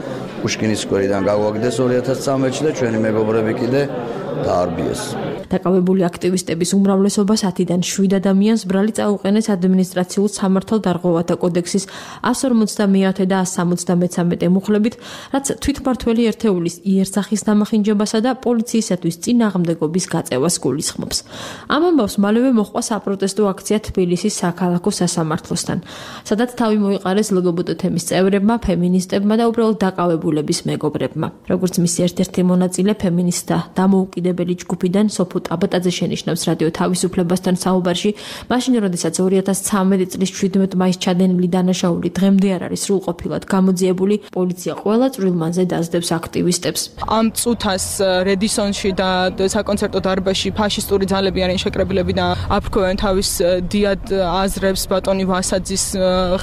პუშკინის სკვერიდან გავაგდეს ორი ათას წამეთში და ჩვენი მეგობრები კიდე დაარბიეს. დაკავებული აქტივისტების უმრავლესობას ათიდან შვიდ ადამიანს ბრალი წაუყენეს ადმინისტრაციულ სამართალდარღვევათა კოდექსის εκατს ორმოცდამეათე და εκατს სამოცდამეცამეტე მუხლებით, რაც თვითმმართველი ერთეულის იერსახის დამახინჯებასა და პოლიციისათვის წინააღმდეგობის გაწევას გულისხმობს. ამ ამბავს მალევე მოჰყვა საპროტესტო აქცია თბილისის საქალაქო სასამართლოსთან, სადაც თავი მოიყარეს ლ გ ბ ტ თემის წევრებმა, ფემინისტებმა და უბრალოდ დაკავებულების მეგობრებმა. როგორც მისი ერთ-ერთი მონაწილე ფემინისტთა დამოუკიდებელი ჯგუფიდან სოფო აბატაძე შენიშნავს რადიო თავისუფლებასთან საუბარში, მაშინ როდესაც ორი ათას ცხრამეტი წლის შვიდმეტ მაისს ჩადენილი დანაშაული დღემდე არ არის სრულყოფილად გამოძიებული, პოლიცია ყველა წვრილმანზე დაძდებს აქტივისტებს. ამ წუთას რედისონში და საკონცერტო დარბაზში ფაშისტური ძალები არიან შეკრებილები და აფრქვევენ თავის დიად აზრებს ბატონი ვასაძის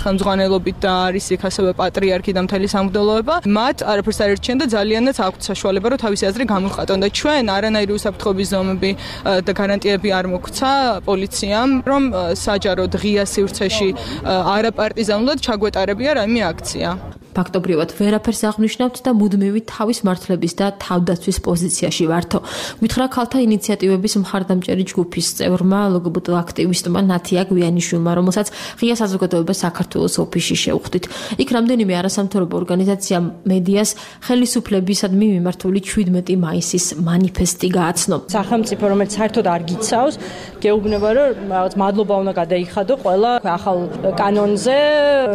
ხელმძღვანელობით და არის იქ ასევე პატრიარქი და მთელი სამღვდელოება. მათ არაფერს არ ერჩიან და ძალიანაც აქვთ საშუალება, რომ თავისი აზრი გამოვხატონ და ჩვენ არანაირი უსაფრთხოების ზომები და გარანტიები არ მოგვცა პოლიციამ, რომ საჯაროდ ღია სივრცეში არაპარტიზანულად ჩაგვეტარებია რაიმე აქცია. ფაქტობრივად ვერაფერს აღნიშნავთ და მუდმივი თავის მართლების და თავდაცვის პოზიციაში ვართო. გითხრა ქალთა ინიციატივების მხარდამჭერი ჯგუფის წევრმა ლგბტ აქტივისტმა ნათია გვიანიშვილმა, რომელსაც ღია საზოგადოება საქართველოს ოფისში შეუხდით. იქ რამდენიმე არასამთავრობო ორგანიზაციამ მედიას ხელისუფლებისადმი მიმართული შვიდმეტი მაისის მანიფესტი გააცნო. სახელმწიფო, რომელიც საერთოდ არ გიცავს, გეუბნება, რომ რაღაც მადლობა უნდა გადაიხადო ყველა ახალ კანონზე,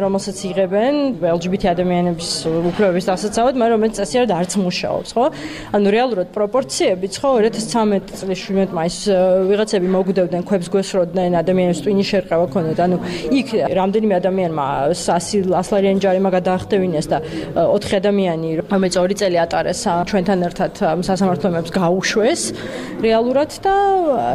რომელსაც იღებენ ელ ჯი ბი თი ადამიანების უფლებების დასაცავად, მაგრამ რომელიც წესიერ არც მუშაობს, ხო? ანუ რეალურად პროპორციებიც, ხო, ორი ათას ცხრამეტი წლის შვიდმეტი მაისს ვიღაცები მოგვდევდნენ, ქვებს გვესროდნენ, ადამიანებს ტვინი შერყევა ქონდათ. ანუ იქ რამდენიმე ადამიანმა ასლარიანი ჯარიმა გადაახტევინეს და ოთხი ადამიანი, რომელიც ორი წელი ატარეს ჩვენთან ერთად სასამართლოებს გაუშვეს რეალურად და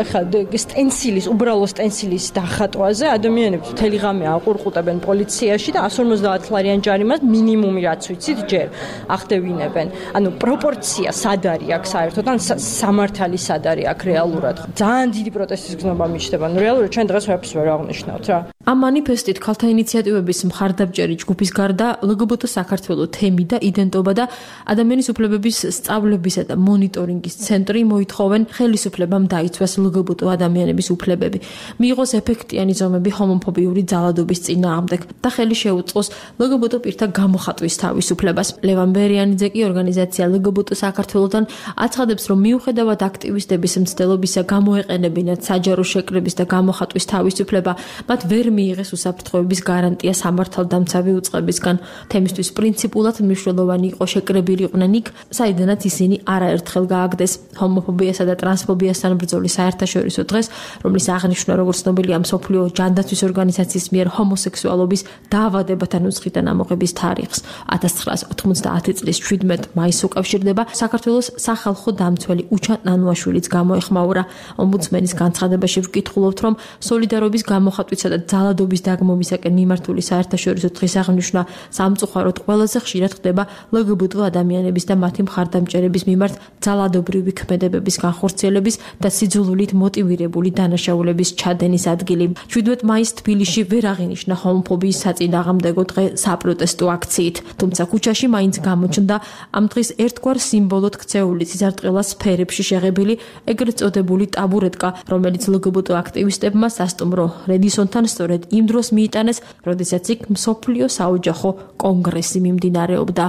ხა სტენსილის, უბრალო სტენსილის დახატვაზე ადამიანებს მთელი ღამე აყურყუტებენ პოლიციაში და εκατს ორმოცდაათ ლარიან ჯარიმას მინიმუმი რაც ვიცით ჯერ ახდევინებენ. ანუ პროპორცია სად არის აქ საერთოდ ან სამართალი სად არის აქ რეალურად. ძალიან დიდი პროტესტის გზნობა მიჩნდება. ანუ რეალურად ჩვენ დღეს ვერაფერს ვერ აღნიშნავთ რა. ამ მანიფესტით ქალთა ინიციატივების მხარდამჭერი ჯგუფის გარდა ლგბტ საქართველოს თემი და იდენტობა და ადამიანის უფლებების სწავლებისა და მონიტორინგის ცენტრი მოითხოვენ ხელისუფლებამ დაიცვას ლგბტ ადამიანების უფლებები, მიიღოს ეფექტიანი ზომები ჰომოფობიური ძალადობის წინააღმდეგ და ხელი შეუწყოს ლგბტ პირთა გამოხატვის თავისუფლებას. ლევან ბერიანიძე კი ორგანიზაცია ლგბტ საქართველოსთან აცხადებს, რომ მიუხედავად აქტივისტების მცდელობისა გამოეყენებინათ საჯარო შეკრების და გამოხატვის თავისუფლება, მათ ვერ მიიღეს უსაფრთხოების გარანტია სამართალდამცავი უწყებისგან. თემისთვის პრინციპულად მნიშვნელოვანი იყო შეკრებილიყვნენ იქ, საიდანაც ისინი არაერთხელ გააგდეს. ჰომოფობიასა და ტრანსფობიასთან ბრძოლის საერთაშორისო დღეს, რომლის აღნიშვნა როგორც ცნობილია მსოფლიო ჯანდაცვის ორგანიზაციის მიერ ჰომოსექსუალობის დაავადებათა ნუსხიდან ამოღების თარიღს ათას ცხრაას ოთხმოცდაათი წლის შვიდმეტი მაისს უკავშირდება. საქართველოს სახალხო დამცველი უჩა ნანუაშვილიც გამოეხმაურა. ომბუდსმენის განცხადებაში ვკითხულობთ, რომ სოლიდარობის გამოხატვისა და ძალადობის დაგმომისაკენ მიმართული საერთაშორისო დღის აღნიშვნა სამწუხაროდ ყველაზე ხშირად ხდება ლგბტ ადამიანების და მათი მხარდამჭერების მიმართ ძალადობრივი ქმედებების განხორციელების და სიძულვილით მოტივირებული დანაშაულების ჩადენის ადგილი. შვიდმეტი მაისს თბილისში ვერ აღინიშნა ჰომოფობიის საწინააღმდეგო დღე საპროტესტო აქციით, თუმცა ქუჩაში მაინც გამოჩნდა ამ დღის ერთგვარ სიმბოლოდ ქცეული სიზარტყელას სფერებში შეღებილი ეგრეთ წოდებული ტაბურეტკა, რომელიც ლგბტ აქტივისტებმა სასტუმრო რედისონთან სწორედ იმ დროს მიიტანეს, როდესაც იქ მსოფლიო საოჯახო კონგრესი მიმდინარეობდა.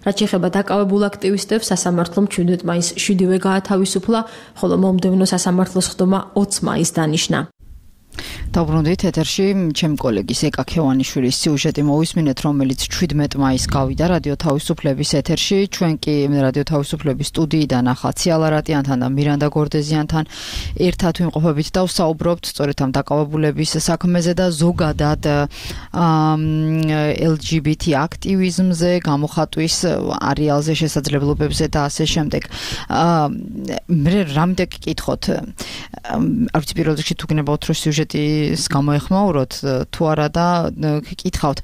რაც შეეხება დაკავებულ აქტივისტებს, სასამართლომ შვიდმეტი მაისს შვიდივე გაათავისუფლა, ხოლო მომდევნო სასამართლოს ხდომა ოცი მაისს დანიშნა. დავბრუნდით ეთერში ჩემი კოლეგის ეკა ქევანიშვილის სიუჟეტი მოვისმინეთ, რომელიც შვიდმეტი მაისს გავიდა რადიო თავისუფლების ეთერში. ჩვენ კი რადიო თავისუფლების სტუდიიდან ახლა ციალა რატიანთან და მირანდა გორდეზიანთან ერთად ვიმყოფებით და ვსაუბრობთ სწორედ ამ დაკავებულების საქმეზე და ზოგადად ელ ჯი ბი თი აქტივიზმზე, გამოხატვის არეალზე, შესაძლებლობებზე და ასე შემდეგ. მე რამდენ გკითხოთ, არ ვიცი პირველ რიგში თუ გნებავთ რომ სიუჟეტის გამოეხმაუროთ თუ არა და გკითხავთ,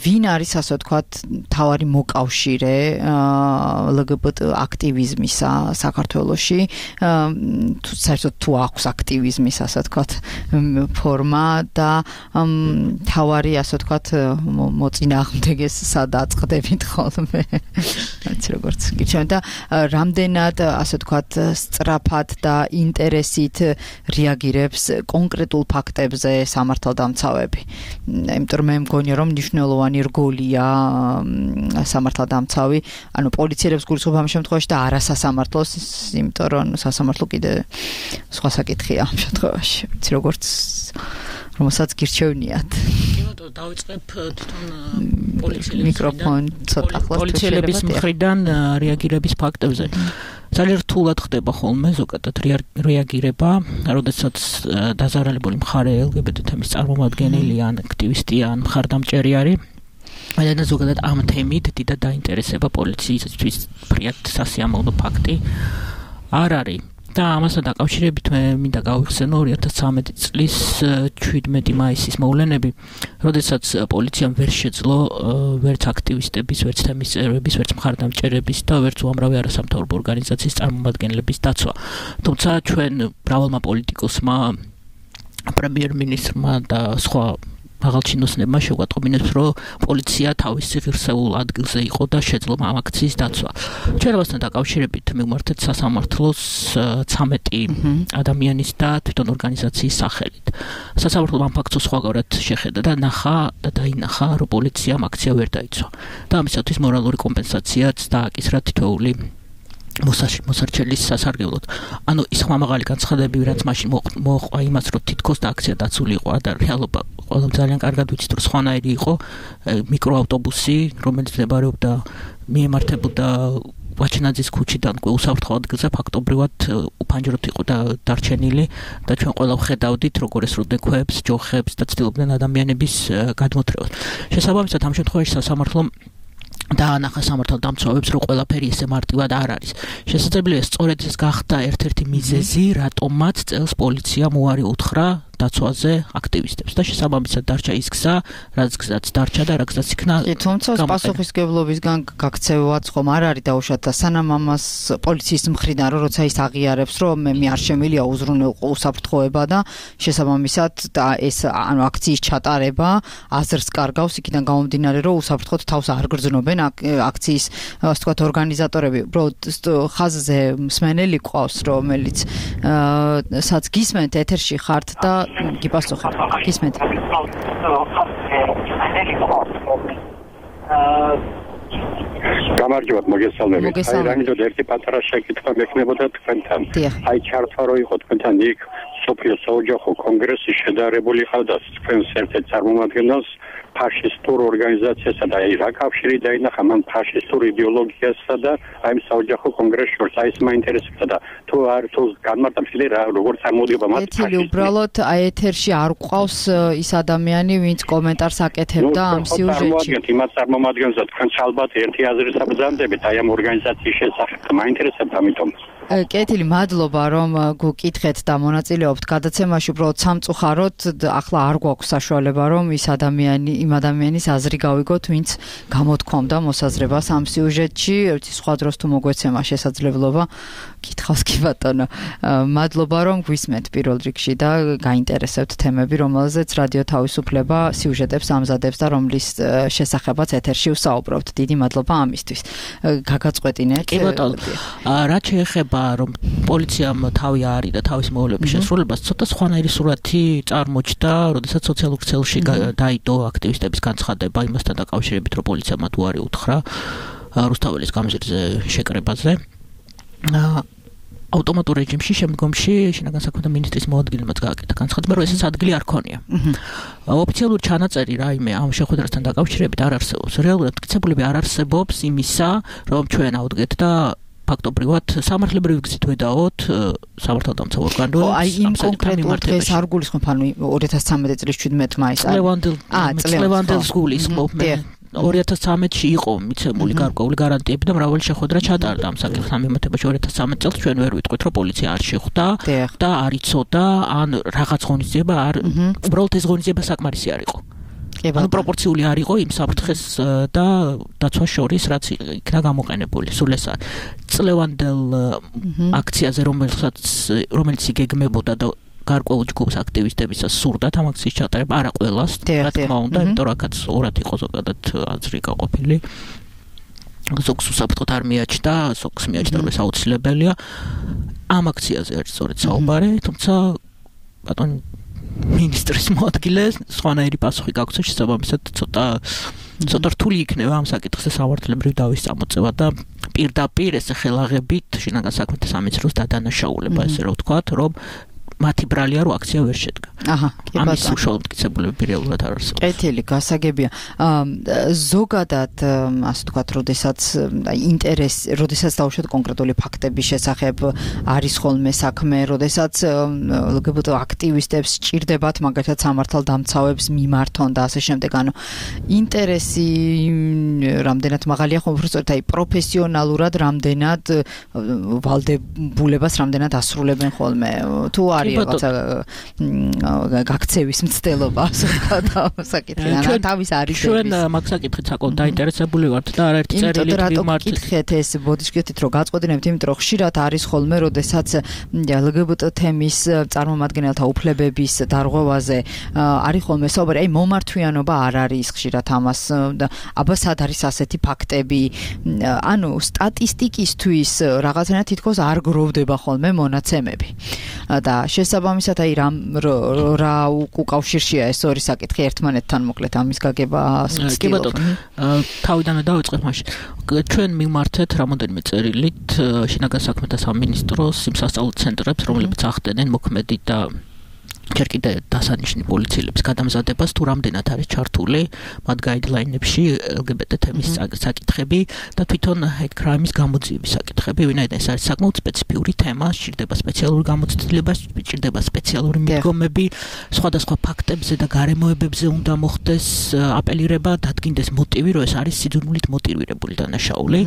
ვინ არის ასე ვთქვათ თავარი მოკავშირე ლგბტ აქტივიზმისა საქართველოში, თუ საერთოდ თუ აქვს აქტივიზმის ასე ვთქვათ ფორმა და თავარი ასე ვთქვათ მოწინააღმდეგეს სად აწყდებით ხოლმე, რაც როგორც გიჩვენ და რამდენად ასე ვთქვათ სწრაფად და ინტერესით რეაგირებს კონკრეტულ ფაქტებზე სამართალდამცავები. იმიტომ მე მგონია რომ მნიშვნელოვანი რგოლია სამართალდამცავი, ანუ პოლიციელებს გულისხმობ ამ შემთხვევაში და არასასამართლოს, იმიტომ რომ სასამართლო კიდე სხვა საკითხია ამ შემთხვევაში. ვიცი როგორც რომელსაც გირჩევნიათ. დავიწყებ თვითონ პოლიციელების მიკროფონ ცოტა ახლოს პოლიციელების მხრიდან რეაგირების ფაქტებზე. ძალიან რთულად ხდება ხოლმე ზოგადად რეაგირება, როდესაც დაზარალებული მხარე ელ გი ბი თი თემის წარმომადგენელი ან აქტივისტი ან მხარდამჭერი არის. და ზოგადად ამ თემით დიდად დაინტერესება პოლიციისთვის ფრიად სასიამოვნო ფაქტი არ არის. და ამასთან დაკავშირებით მე მინდა გავიხსენო ორი ათას ცხრამეტი წლის შვიდმეტი მაისის მოვლენები, როდესაც პოლიციამ ვერ შეძლო ვერც აქტივისტების, ვერც თემის წევრების, ვერც მხარდამჭერების და ვერც უამრავი არასამთავრობო ორგანიზაციის წარმომადგენლების დაცვა. თუმცა ჩვენ მრავალმა პოლიტიკოსმა, პრემიერ-მინისტრმა და სხვა მაღალჩინოსნებმა შეგვატყობინებს, რომ პოლიცია თავისი ღირსეულ ადგილზე იყო და შეძლო ამ აქციის დაცვა. ჩვენ ამასთან დაკავშირებით მივმართეთ სასამართლოს ცამეტი ადამიანის და თვითონ ორგანიზაციის სახელით. სასამართლომ ამ ფაქტს სხვაგვარად შეხედა და ნახა და დაინახა, რომ პოლიციამ აქცია ვერ დაიცვა. და ამისათვის მორალური კომპენსაციაც დააკისრა თითოეული მოსარჩელის სასარგებლოდ. ანუ ის ხმამაღალი განცხადებები, რაც მაშინ მოყვა იმას, რომ თითქოს და აქცია დაცული იყო და რეალობა ყველამ ძალიან კარგად ვიცით, რომ სხვანაირი იყო მიკროავტობუსი, რომელიც მდებარეობდა მიემართებოდა ვაჩნაძის ქუჩიდან უსაფრთხო ადგილზე ფაქტობრივად უფანჯროთ იყო და დარჩენილი და ჩვენ ყველა ვხედავდით, როგორ ესროდნენ ქვებს, ჯოხებს და ცდილობდნენ ადამიანების გადმოთრევას. შესაბამისად ამ შემთხვევაში სასამართლომ დაანახა სამართალდამცავებს, რომ ყველაფერი ესე მარტივად არ არის. შესაძლებელია სწორედ ეს გახდა ერთ-ერთი მიზეზი, რატომაც წელს პოლიციამ უარი უთხრა დაცვაზე აქტივისტებს და შესაბამისად დარჩა ის გზა, რაც გზაც დარჩა და რა გზაც იქნა. კი, თუმცა პასუხისგებლობისგან გაქცევაც ხომ არ არის დაუშვათ და სანამ ამას პოლიციის მხრიდან რომ როცა ის აღიარებს, რომ მე არ შემილია უზრუნველყო უსაფრთხოება და შესაბამისად და ეს ანუ აქციის ჩატარება აზრს კარგავს იქიდან გამომდინარე, რომ უსაფრთხოდ თავს არ გრძნობენ აქციის ასე ვთქვათ ორგანიზატორები. უბრალოდ ხაზზე მსმენელი ყავს, რომელიც სადაც გისმენთ ეთერში ხართ და გიპასუხებ. გისმენთ. გამარჯობათ, მოგესალმებით. აი რამიდოდ ერთი პატარა შეკითხვა მექნებოდა თქვენთან. აი ჩართვა რო იყო თქვენთან იქ სოფიო საოჯახო კონგრესი შედარებული ყავდა თქვენს ერთ-ერთ წარმომადგენელს ფაშისტურ ორგანიზაციასა და აი რა კავშირი დაინახა მან ფაშისტურ იდეოლოგიასა და აი საოჯახო კონგრესს შორს აი ეს მაინტერესებდა და თუ არ თუ განმარტა მთელი რა როგორ წარმოდიება მათ ეთილი უბრალოდ აი ეთერში არ გვყავს ის ადამიანი ვინც კომენტარს აკეთებდა ამ სიუჟეტში იმათ წარმომადგენელს თქვენ ალბათ ერთი აზრის აბრძანდებით აი ამ ორგანიზაციის შესახებ მაინტერესებდა ამიტომ კეთილი მადლობა რომ გუკითხეთ და მონაწილეობთ გადაცემაში უბრალოდ სამწუხაროდ ახლა არ გვაქვს საშუალება რომ ის ადამიანი იმ ადამიანის აზრი გავიგოთ ვინც გამოთქვამდა მოსაზრებას ამ სიუჟეტში ერთი სხვა დროს თუ მოგვეცემა შესაძლებლობა კითხავს კი ბატონო მადლობა რომ გვისმენთ პირველ რიგში და გაინტერესებთ თემები რომელზეც რადიო თავისუფლება სიუჟეტებს ამზადებს და რომლის შესახებაც ეთერში ვსაუბრობთ დიდი მადლობა ამისთვის გაგაწყვეტინეთ კი ბატონო რა შეეხება რომ პოლიციამ თავი არის და თავის მოვლენების შესრულებას ცოტა სხვანაირი სურათი წარმოჩნდა, როდესაც სოციალურ ქსელში დაიდო აქტივისტების განცხადება იმასთან დაკავშირებით, რომ პოლიციამ მათ უარი უთხრა რუსთაველის გამზირზე შეკრებაზე. ავტომატურ რეჟიმში შემდგომში შინაგან საქმეთა მინისტრის მოადგილემაც გააკეთა განცხადება, რომ ესეც ადგილი არ ქონია. ოფიციალური ჩანაწერი რაიმე ამ შეხვედრასთან დაკავშირებით არ არსებობს. რეალურად მტკიცებულები არ არსებობს იმისა, რომ ჩვენ ავდგეთ და ფაქტობრივად სამართლებრივი გზით ვედაოთ სამართალდამცავ ორგანო აი იმ კონკრეტულ დღეს არ გულისხმობ ანუ ორი ათას ცამეტი წლის შვიდმეტი მაისს წლევანდელს გულისხმობ მე ორი ათას ცამეტში იყო მიცემული გარკვეული გარანტიები და მრავალი შეხვედრა ჩატარდა ამ საკითხთან მიმართებაში ორი ათას ცამეტი წელს ჩვენ ვერ ვიტყვით რომ პოლიცია არ შეხვდა და არ იცოდა ან რაღაც ღონისძიება არ უბრალოდ ეს ღონისძიება საკმარისი არ იყო ანუ პროპორციული არ იყო იმ საფრთხეს და დაცვას შორის რაც იქნა გამოყენებული სულ ეს წლევანდელ აქციაზე რომელსაც რომელიც იგეგმებოდა და გარკვეულ ჯგუფს აქტივისტებისას სურდათ ამ აქციის ჩატარება არა ყველას რა თქმა უნდა იმიტომ რომ აქაც ორად იყო ზოგადად აზრი გაყოფილი ზოგს უსაფრთხოდ არ მიაჩნდა ზოგს მიაჩნდა რომ ეს აუცილებელია ამ აქციაზე არის სწორედ საუბარი თუმცა ბატონი მინისტრის მოადგილე სხვანაირი პასუხი გაგვცეს შესაბამისად ცოტა ცოტა რთული იქნება ამ საკითხზე სამართლებრივ დავის წამოწევა და პირდაპირ ესე ხელაღებით შინაგან საქმეთა სამინისტროს დადანაშაულება ესე რომ ვთქვათ რომ მათი ბრალია რომ აქცია ვერ შედგა. აჰა, ამის უშუალოდ მტკიცებულები რეალურად არ არსებობს. კეთილი, გასაგებია. ზოგადად ასე ვთქვათ, როდესაც ინტერესი, როდესაც დავუშვათ კონკრეტული ფაქტების შესახებ არის ხოლმე საქმე, როდესაც ლგბტ აქტივისტებს სჭირდებათ მაგალითად სამართალდამცავებს მიმართონ და ასე შემდეგ, ანუ ინტერესი რამდენად მაღალია ხომ უბრალოდ აი პროფესიონალურად რამდენად ვალდებულებას რამდენად ასრულებენ ხოლმე თუ არის არის რაღაცა გაქცევის მცდელობა, ასე ვთქვათ, საკითხი და თავის არის. ჩვენ მაგ საკითხით საკმაოდ დაინტერესებული ვართ და არაერთი წერილი ვიმართ. კითხეთ ეს ბოდიშკეთით რომ გაწყვეტინებთ, იმიტომ რომ ხშირად არის ხოლმე, როდესაც ელ ჯი ბი ტი თემის წარმომადგენელთა უფლებების დარღვევაზე არის ხოლმე საუბარი, აი მომართვიანობა არ არის ხშირად ამას და აბა სად არის ასეთი ფაქტები, ანუ სტატისტიკისთვის რაღაცნაირად თითქოს არ გროვდება ხოლმე მონაცემები. და შესაბამისად აი რა რა უკავშირშია ეს ორი საკითხი ერთმანეთთან მოკლედ ამის გაგება ვცდილობთ. თავიდანვე დავიწყებ მაშინ. ჩვენ მიმართეთ რამოდენიმე წერილით შინაგან საქმეთა სამინისტროს იმ სასწავლო ცენტრებს, რომლებიც ახდენენ მოქმედი და ჯერ კიდე დასანიშნი პოლიციელების გადამზადებას თუ რამდენად არის ჩართული მათ გაიდლაინებში ელ ჯი ბი ტი თემის საკითხები და თვითონ hate crime-ის გამოძიების საკითხები, ვინაიდან ეს არის საკმაოდ სპეციფიური თემა, სჭირდება სპეციალური გამოცდილება, სჭირდება სპეციალური მიდგომები, სხვადასხვა ფაქტებზე და გარემოებებზე უნდა მოხდეს აპელირება, დადგინდეს მოტივი, რომ ეს არის სიძულმულით მოტივირებული დანაშაული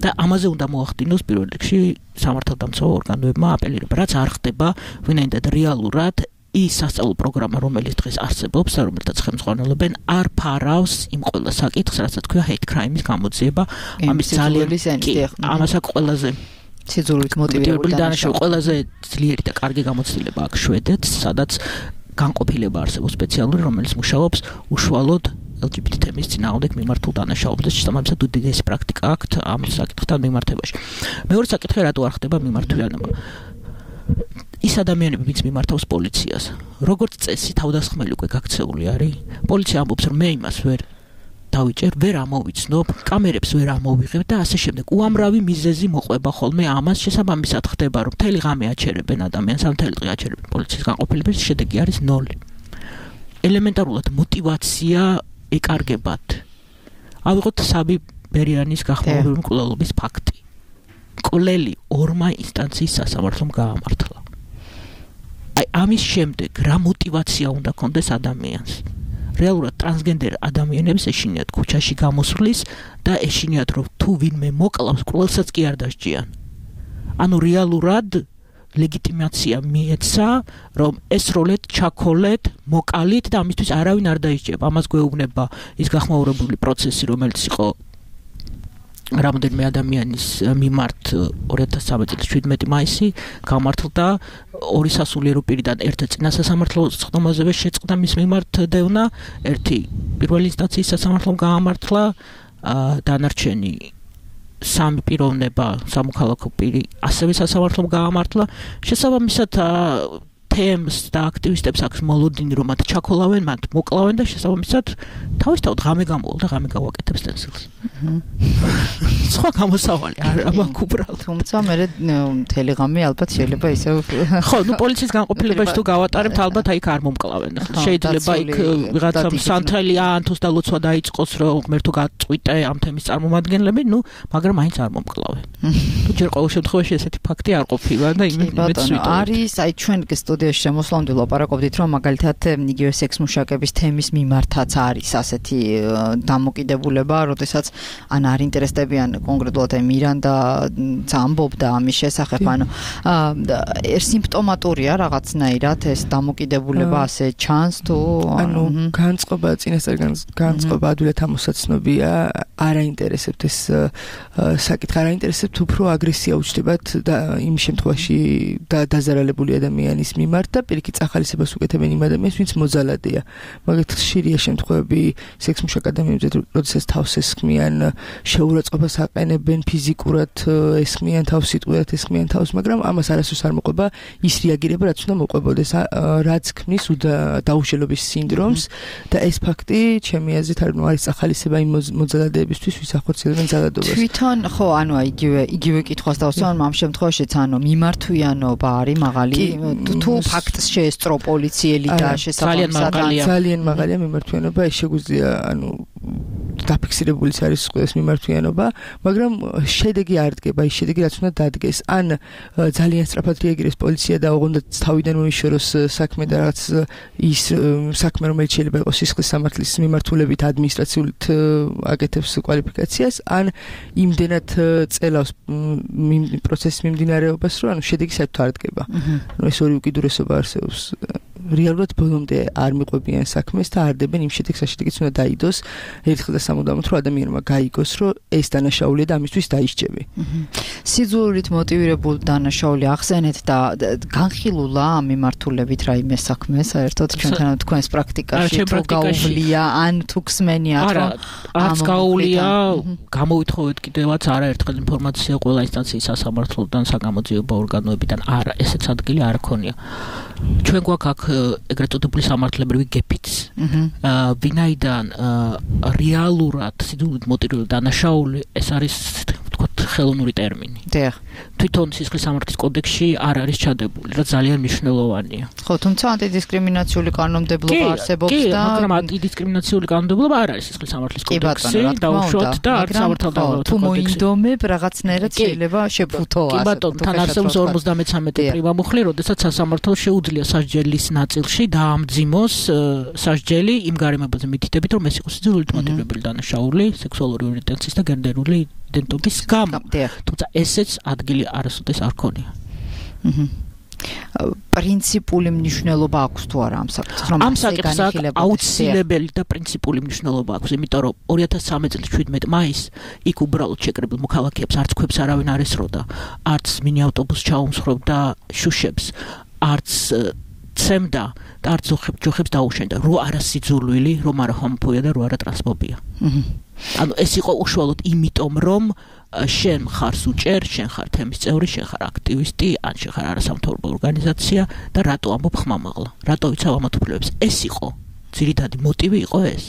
და ამაზე უნდა მოახდინოს პირველ რიგში სამართალდამცავ ორგანოებმა აპელირება, რაც არ ხდება, ვინაიდან რეალურად ის სასწავლო პროგრამა, რომელიც დღეს არსებობს და რომელთაც ხელმძღვანელობენ, არ ფარავს იმ ყველა საკითხს, რასაც ქვია hate crime-ის გამოძიება, ამის ძალიან ამასაც ყველაზე სიძულმულით მოტივირებული დანაშაული, ყველაზე ძლიერი და კარგი გამოცდილება აქვს შვედეთს, სადაც განყოფილება არსებობს სპეციალური, რომელიც მუშაობს უშუალოდ ელ ჯი ბი ტი თემის წინააღმდეგ მიმართულ დანაშაულებს და შესაბამისად უდიდესი პრაქტიკა აქვს ამ საკითხთან მიმართებაში. მეორე საკითხი რატო არ ხდება მიმართვიანობა? ის ადამიანები, ვინც მიმართავს პოლიციას, როგორც წესი თავდასხმელი უკვე გაქცეული არის. პოლიცია ამბობს, რომ მე იმას ვერ დავიჭერ, ვერ ამოვიცნობ, კამერებს ვერ ამოვიღებ და ასე შემდეგ. უამრავი მიზეზი მოყვება ხოლმე ამას, შესაბამისად ხდება, რომ მთელი ღამე აჩერებენ ადამიანს, ამ მთელი დღე აჩერებენ პოლიციის განყოფილებას, შედეგი არის ნოლი. ელემენტარულად მოტივაცია ეკარგებათ. ავიღოთ საბი ბერიანის გახმაურებული მკვლელობის ფაქტი. მკვლელი ორმა ინსტანციის სასამართლომ გაამართლა. აი ამის შემდეგ რა მოტივაცია უნდა კონდეს ადამიანს? რეალურად ტრანსგენდერ ადამიანებს ეშინიათ ქუჩაში გამოსვლის და ეშინიათ რომ თუ ვინმე მოკლავს, ყველსაც კი არ დასჯიან. ანუ რეალურად ლეგიტიმაცია მიეცა, რომ ესროლეთ, ჩაქოლეთ, მოკალით და ამისთვის არავინ არ დაისჯება. ამას გვეუბნება ის გახმაურებული პროცესი, რომელიც იყო რამოდენიმე ადამიანის მიმართ ორი ათას ცხრამეტი წლის შვიდმეტი მაისი გამართლდა ორი სასულიერო პირიდან ერთი წინა სასამართლოს ხდომაზე შეწყდა მის მიმართ დევნა, ერთი პირველი ინსტანციის სასამართლომ გაამართლა, დანარჩენი სამი პიროვნება, სამოქალაქო პირი ასევე სასამართლომ გაამართლა. შესაბამისად თემს და აქტივისტებს აქვს მოლოდინი, რომ მათ ჩაქოლავენ, მათ მოკლავენ და შესაბამისად თავისთავად ღამე გამოვალ და ღამე გავაკეთებ სტენსილს. სხვა გამოსავალი არ მაქვს უბრალოდ. თუმცა მე მთელი ღამე ალბათ შეიძლება ისევ ხო, ნუ პოლიციის განყოფილებაში თუ გავატარებთ, ალბათ აიქ არ მომკლავენ. შეიძლება იქ ვიღაცა სანთელი ანთოს და ლოცვა დაიწყოს, რომ ღმერთო გაწყვიტე ამ თემის წარმომადგენლები, ნუ მაგრამ აინც არ მომკლავენ. თუ ჯერ ყოველ შემთხვევაში ესეთი ფაქტი არ ყოფილა და იმედს ვიტოვებთ. არის აი ჩვენ სტუდიაში შემოსვლამდე ლაპარაკობდით, რომ მაგალითად იგივე სექს მუშაკების თემის მიმართაც არის ასეთი დამოკიდებულება, როდესაც ან არ ინტერესდებიან კონკრეტულად აი მირანდა ამბობდა ამის შესახებ, ანუ სიმპტომატურია რაღაცნაირად ეს დამოკიდებულება ასე ჩანს თუ ანუ განწყობა წინასწარ განწყობა ადვილად ამოსაცნობია, არ აინტერესებთ ეს საკითხი, არ აინტერესებთ უფრო აგრესია უჩნდებათ და იმ შემთხვევაში დაზარალებული ადამიანის მიმართ და პირიქით ახალისებას უკეთებენ იმ ადამიანს, ვინც მოძალადეა. მაგალითად ხშირია შემთხვევები სექს მუშაკ ადამიანებზე, როდესაც თავს ესხმიან, შეურაცხყოფას აყენებენ, ფიზიკურად ესხმიან თავს, სიტყვიათ ესხმიან თავს, მაგრამ ამას არასდროს არ მოყვება ის რეაგირება, რაც უნდა მოყვებოდეს, რაც ქმნის დაუშელობის სინდრომს და ეს ფაქტი ჩემი აზრით არის ახალისება იმ მოძალადეებისთვის, ვის ახორციელებენ ძალადობას. თვითონ ხო, ანუ იგივე იგივე კითხვას დავსვამ ამ შემთხვევაშიც, ანუ მიმართვიანობა არის მაღალი თუ ფაქტს შეესწრო პოლიციელი და შესაბამისად ძალიან მაღალია მიმართვიანობა, ეს შეგვიძლია ანუ დაფიქსირებულიც არის ყველა მიმართვიანობა, მაგრამ შედეგი არ დგება, ის შედეგი რაც უნდა დადგეს. ან ძალიან სწრაფად რეაგირებს პოლიცია და ოღონდ თავიდან მოიშოროს საქმე და რაღაც ის საქმე რომელიც შეიძლება იყოს სისხლის სამართლის მიმართულებით ადმინისტრაციულად აკეთებს კვალიფიკაციას, ან იმდენად წელავს პროცესის მიმდინარეობას, რომ ანუ შედეგი საერთოდ არ დგება. ანუ ეს ორი უკიდურესობა არსებობს. რეალურად ბოლომდე არ მიყვებიან საქმეს და არ დებენ იმ შედეგს, შედეგიც უნდა დაიდოს ერთხელ და სამუდამოდ, რომ ადამიანმა გაიგოს, რომ ეს დანაშაულია და ამისთვის დაისჯები. სიძულვით მოტივირებული დანაშაული ახსენეთ და განხილულა ამ მიმართულებით რაიმე საქმე საერთოდ ჩვენთან თქვენს პრაქტიკაში თუ გაუვლია ან თუ ხსმენია რა არც გაუვლია გამოვითხოვეთ კიდევაც არაერთხელ ინფორმაცია ყველა ინსტანციის სასამართლოდან საგამოძიებო ორგანოებიდან არა ესეც ადგილი არ ქონია ჩვენ გვაქვს აქ ეგრეთ წოდებული სამართლებრივი გეფიც ვინაიდან რეალურად სიძულვით მოტივირებული დანაშაული ეს არის ვთქვათ ხელოვნური ტერმინი. დიახ. თვითონ სისხლის სამართლის კოდექსში არ არის ჩადებული, რაც ძალიან მნიშვნელოვანია. ხო, თუმცა ანტიდისკრიმინაციული კანონმდებლობა არსებობს და კი, მაგრამ ანტიდისკრიმინაციული კანონმდებლობა არ არის სისხლის სამართლის კოდექსში, დაუშვათ და არც სამართალდამოუკიდებლობის თუ მოინდომებ რაღაცნაირად შეიძლება შეფუთო ასე. კი ბატონო, თან არსებობს ორმოცდამეცამეტე პრივამუხლი, როდესაც სასამართლო შეუძლია სასჯელის ნაწილში დაამძიმოს სასჯელი იმ გარემოებაზე მითითებით, რომ ეს იყოს სიძულვით მოტივირებული დანაშაული, სექსუალური ორიენტაციის და გენდერული იდენტობის გამო. თუმცა ესეც ადგილი არასოდეს არ ქონია. პრინციპული მნიშვნელობა აქვს თუ არა ამ საკითხს, რომ ამ საკითხს აუცილებელი და პრინციპული მნიშვნელობა აქვს, იმიტომ რომ ორი ათას ცხრამეტ წლის შვიდმეტ მაისს იქ უბრალოდ შეკრებილ მოქალაქეებს არც ქვებს არავინ არ ესროდა, არც მინი ავტობუსს ჩაუმსხვრობდა შუშებს, არც ცემდა და არც ჯოხებს დაუშენდა, რო არა სიძულვილი, რომ არა ჰომოფობია და რო არა ტრანსფობია. ანუ ეს იყო უშუალოდ იმიტომ, რომ შენ ხარ სუჭერ, შენ ხარ თემის წევრი, შენ ხარ აქტივისტი, ან შენ ხარ არასამთავრობო ორგანიზაცია და რატო ამბობ ხმამაღლა? რატო ვიცავ ამათ უფლებებს? ეს იყო ძირითადი მოტივი იყო ეს.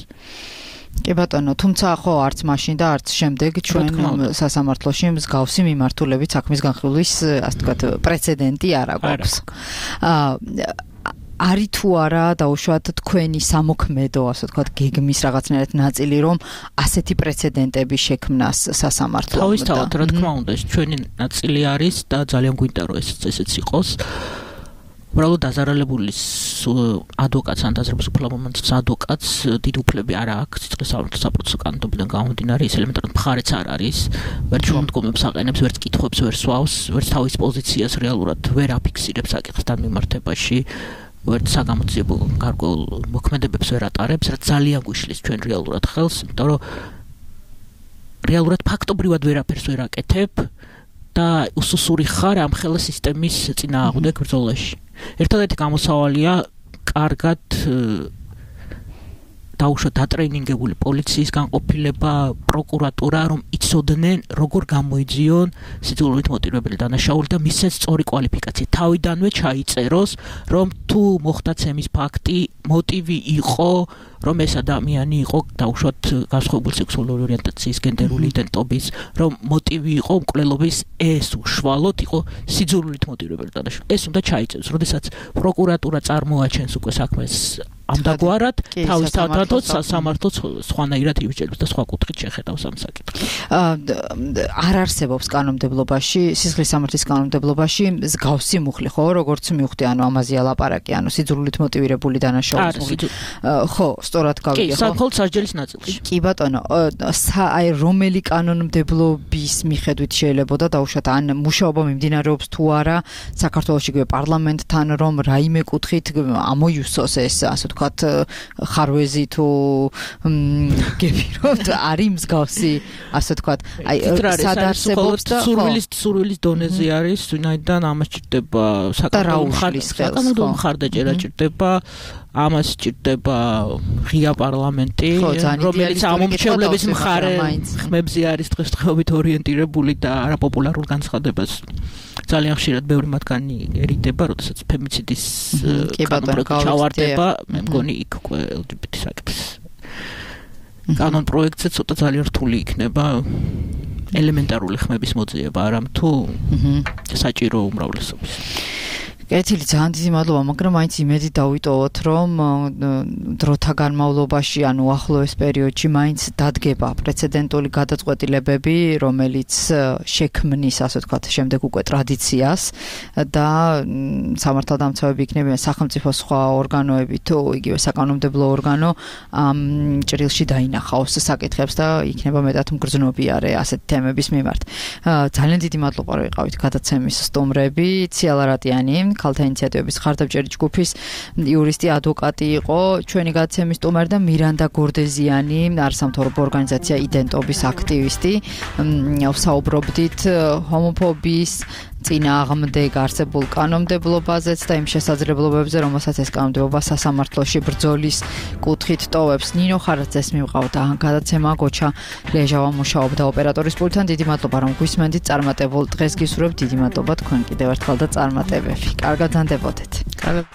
კი ბატონო, თუმცა ხო არც მაშინ და არც შემდეგ ჩვენ სასამართლოში მსგავსი მიმართულებით საქმის განხილვის, ასე ვთქვათ, პრეცედენტი არ აქვს. აა არი თუ არა დაუშვათ თქვენი სამოქმედო, ასე ვთქვათ, გეგმის რაღაცნაირად ნაწილი, რომ ასეთი პრეცედენტები შექმნას სასამართლომ. თავისთავად, რა თქმა უნდა, ეს ჩვენი ნაწილი არის და ძალიან გვინდა რომ ეს ესეც იყოს. უბრალოდ დაზარალებული ადვოკატს ან დაზრების უფლებამოსილ ადვოკატს დიდ უფლები არ აქვს სიცხლის საპროცესო კანონმდებლობიდან გამომდინარე, ის ელემენტარულად მხარეც არ არის, ვერც შემდგომებს აყენებს, ვერც კითხვებს ვერ სვავს, ვერც თავის პოზიციას რეალურად ვერ აფიქსირებს საკითხთან მიმართებაში. ვერც საგამოძიებო გარკვეულ მოქმედებებს ვერ ატარებს, რაც ძალიან გვიშლის ჩვენ რეალურად ხელს, იმიტომ რომ რეალურად ფაქტობრივად ვერაფერს ვერ აკეთებ და უსუსური ხარ ამ ხელა სისტემის წინააღმდეგ ბრძოლაში. ერთადერთი გამოსავალია კარგად დაუშვათ დატრეინინგებული პოლიციის განყოფილება, პროკურატურა, რომ იცოდნენ როგორ გამოიძიონ სიძულვით მოტივირებული დანაშაული და მისცეს სწორი კვალიფიკაცია. თავიდანვე ჩაიწეროს, რომ თუ მოხდა ცემის ფაქტი, მოტივი იყო, რომ ეს ადამიანი იყო დაუშვათ განსხვავებული სექსუალური ორიენტაციის, გენდერული იდენტობის, რომ მოტივი იყო მკვლელობის ეს უშუალოდ იყო სიძულვით მოტივირებული დანაშაული. ეს უნდა ჩაიწეროს, როდესაც პროკურატურა წარმოაჩენს უკვე საქმეს ამდაგვარად თავის თავთანაც სასამართლოც სხვანაირად იბჭერებს და სხვა კუთხით შეხედავს ამ საკითხს. არ არსებობს კანონმდებლობაში, სისხლის სამართლის კანონმდებლობაში მსგავსი მუხლი, ხო, როგორც მივხვდი, ანუ ამაზეა ლაპარაკი, ანუ სიძულვით მოტივირებული დანაშაულის მუხლი. ხო, სწორად გავიგე, ხო? კი, საკოლ სასჯელის ნაწილში. კი ბატონო, აი რომელი კანონმდებლობის მიხედვით შეიძლება და დაუშვათ ან მუშაობა მიმდინარეობს თუ არა საქართველოს იგივე პარლამენტთან, რომ რაიმე კუთხით ამოიუსოს ეს ასე ვთქვათ ხარვეზი თუ გეფიროთ არის მსგავსი ასე ვთქვათ აი სადარსებობს და სურვილის სურვილის დონეზე არის ვინაიდან ამას ჭირდება საკანონმდებლო მხარდაჭერა ჭირდება ამას ჭირდება ღია პარლამენტი რომელიც ამომრჩევლების მხარე ხმებზე არის დღესდღეობით ორიენტირებული და არაპოპულარულ განცხადებას ძალიან ხშირად ბევრი მათგანი ერიდება, როდესაც ფემიციდის კანონპროექტი ჩავარდება, მე მგონი იქ უკვე ელ ჯი ბი ტი საკითხის კანონპროექტზე ცოტა ძალიან რთული იქნება ელემენტარული ხმების მოძიება, არამთუ საჭირო უმრავლესობის. კეთილი, ძალიან დიდი მადლობა, მაგრამ მაინც იმედი დავიტოვოთ, რომ დროთა განმავლობაში, ანუ ახლოეს პერიოდში მაინც დადგება პრეცედენტული გადაწყვეტილებები, რომელიც შექმნის, ასე ვთქვათ, შემდეგ უკვე ტრადიციას და სამართალდამცავები იქნებიან სახელმწიფო სხვა ორგანოები თუ იგივე საკანონმდებლო ორგანო ამ ჭრილში დაინახავს საკითხებს და იქნება მეტად მგრძნობიარე ასეთ თემების მიმართ. ძალიან დიდი მადლობა, რომ იყავით გადაცემის სტუმრები, ციალა რატიანი, ქალთა ინიციატივების ხარდამჭერი ჯგუფის იურისტი, ადვოკატი იყო ჩვენი გადაცემის სტუმარი და მირანდა გორდეზიანი, არასამთავრობო ორგანიზაცია იდენტობის აქტივისტი. ვსაუბრობდით ჰომოფობიის წინააღმდეგ არსებულ კანონმდებლობაზეც და იმ შესაძლებლობებზე, რომელსაც ეს კანონმდებლობა სასამართლოში ბრძოლის კუთხით ტოვებს. ნინო ხარაძეს მივყავდა გადაცემა, გოჩა ლეჟავა მუშაობდა ოპერატორის პულტთან. დიდი მადლობა, რომ გვისმენდით წარმატებულ დღეს გისურვებთ. დიდი მადლობა თქვენ კიდევ ერთხელ და წარმატებები. კარგად ზანდებოდეთ. კარგად.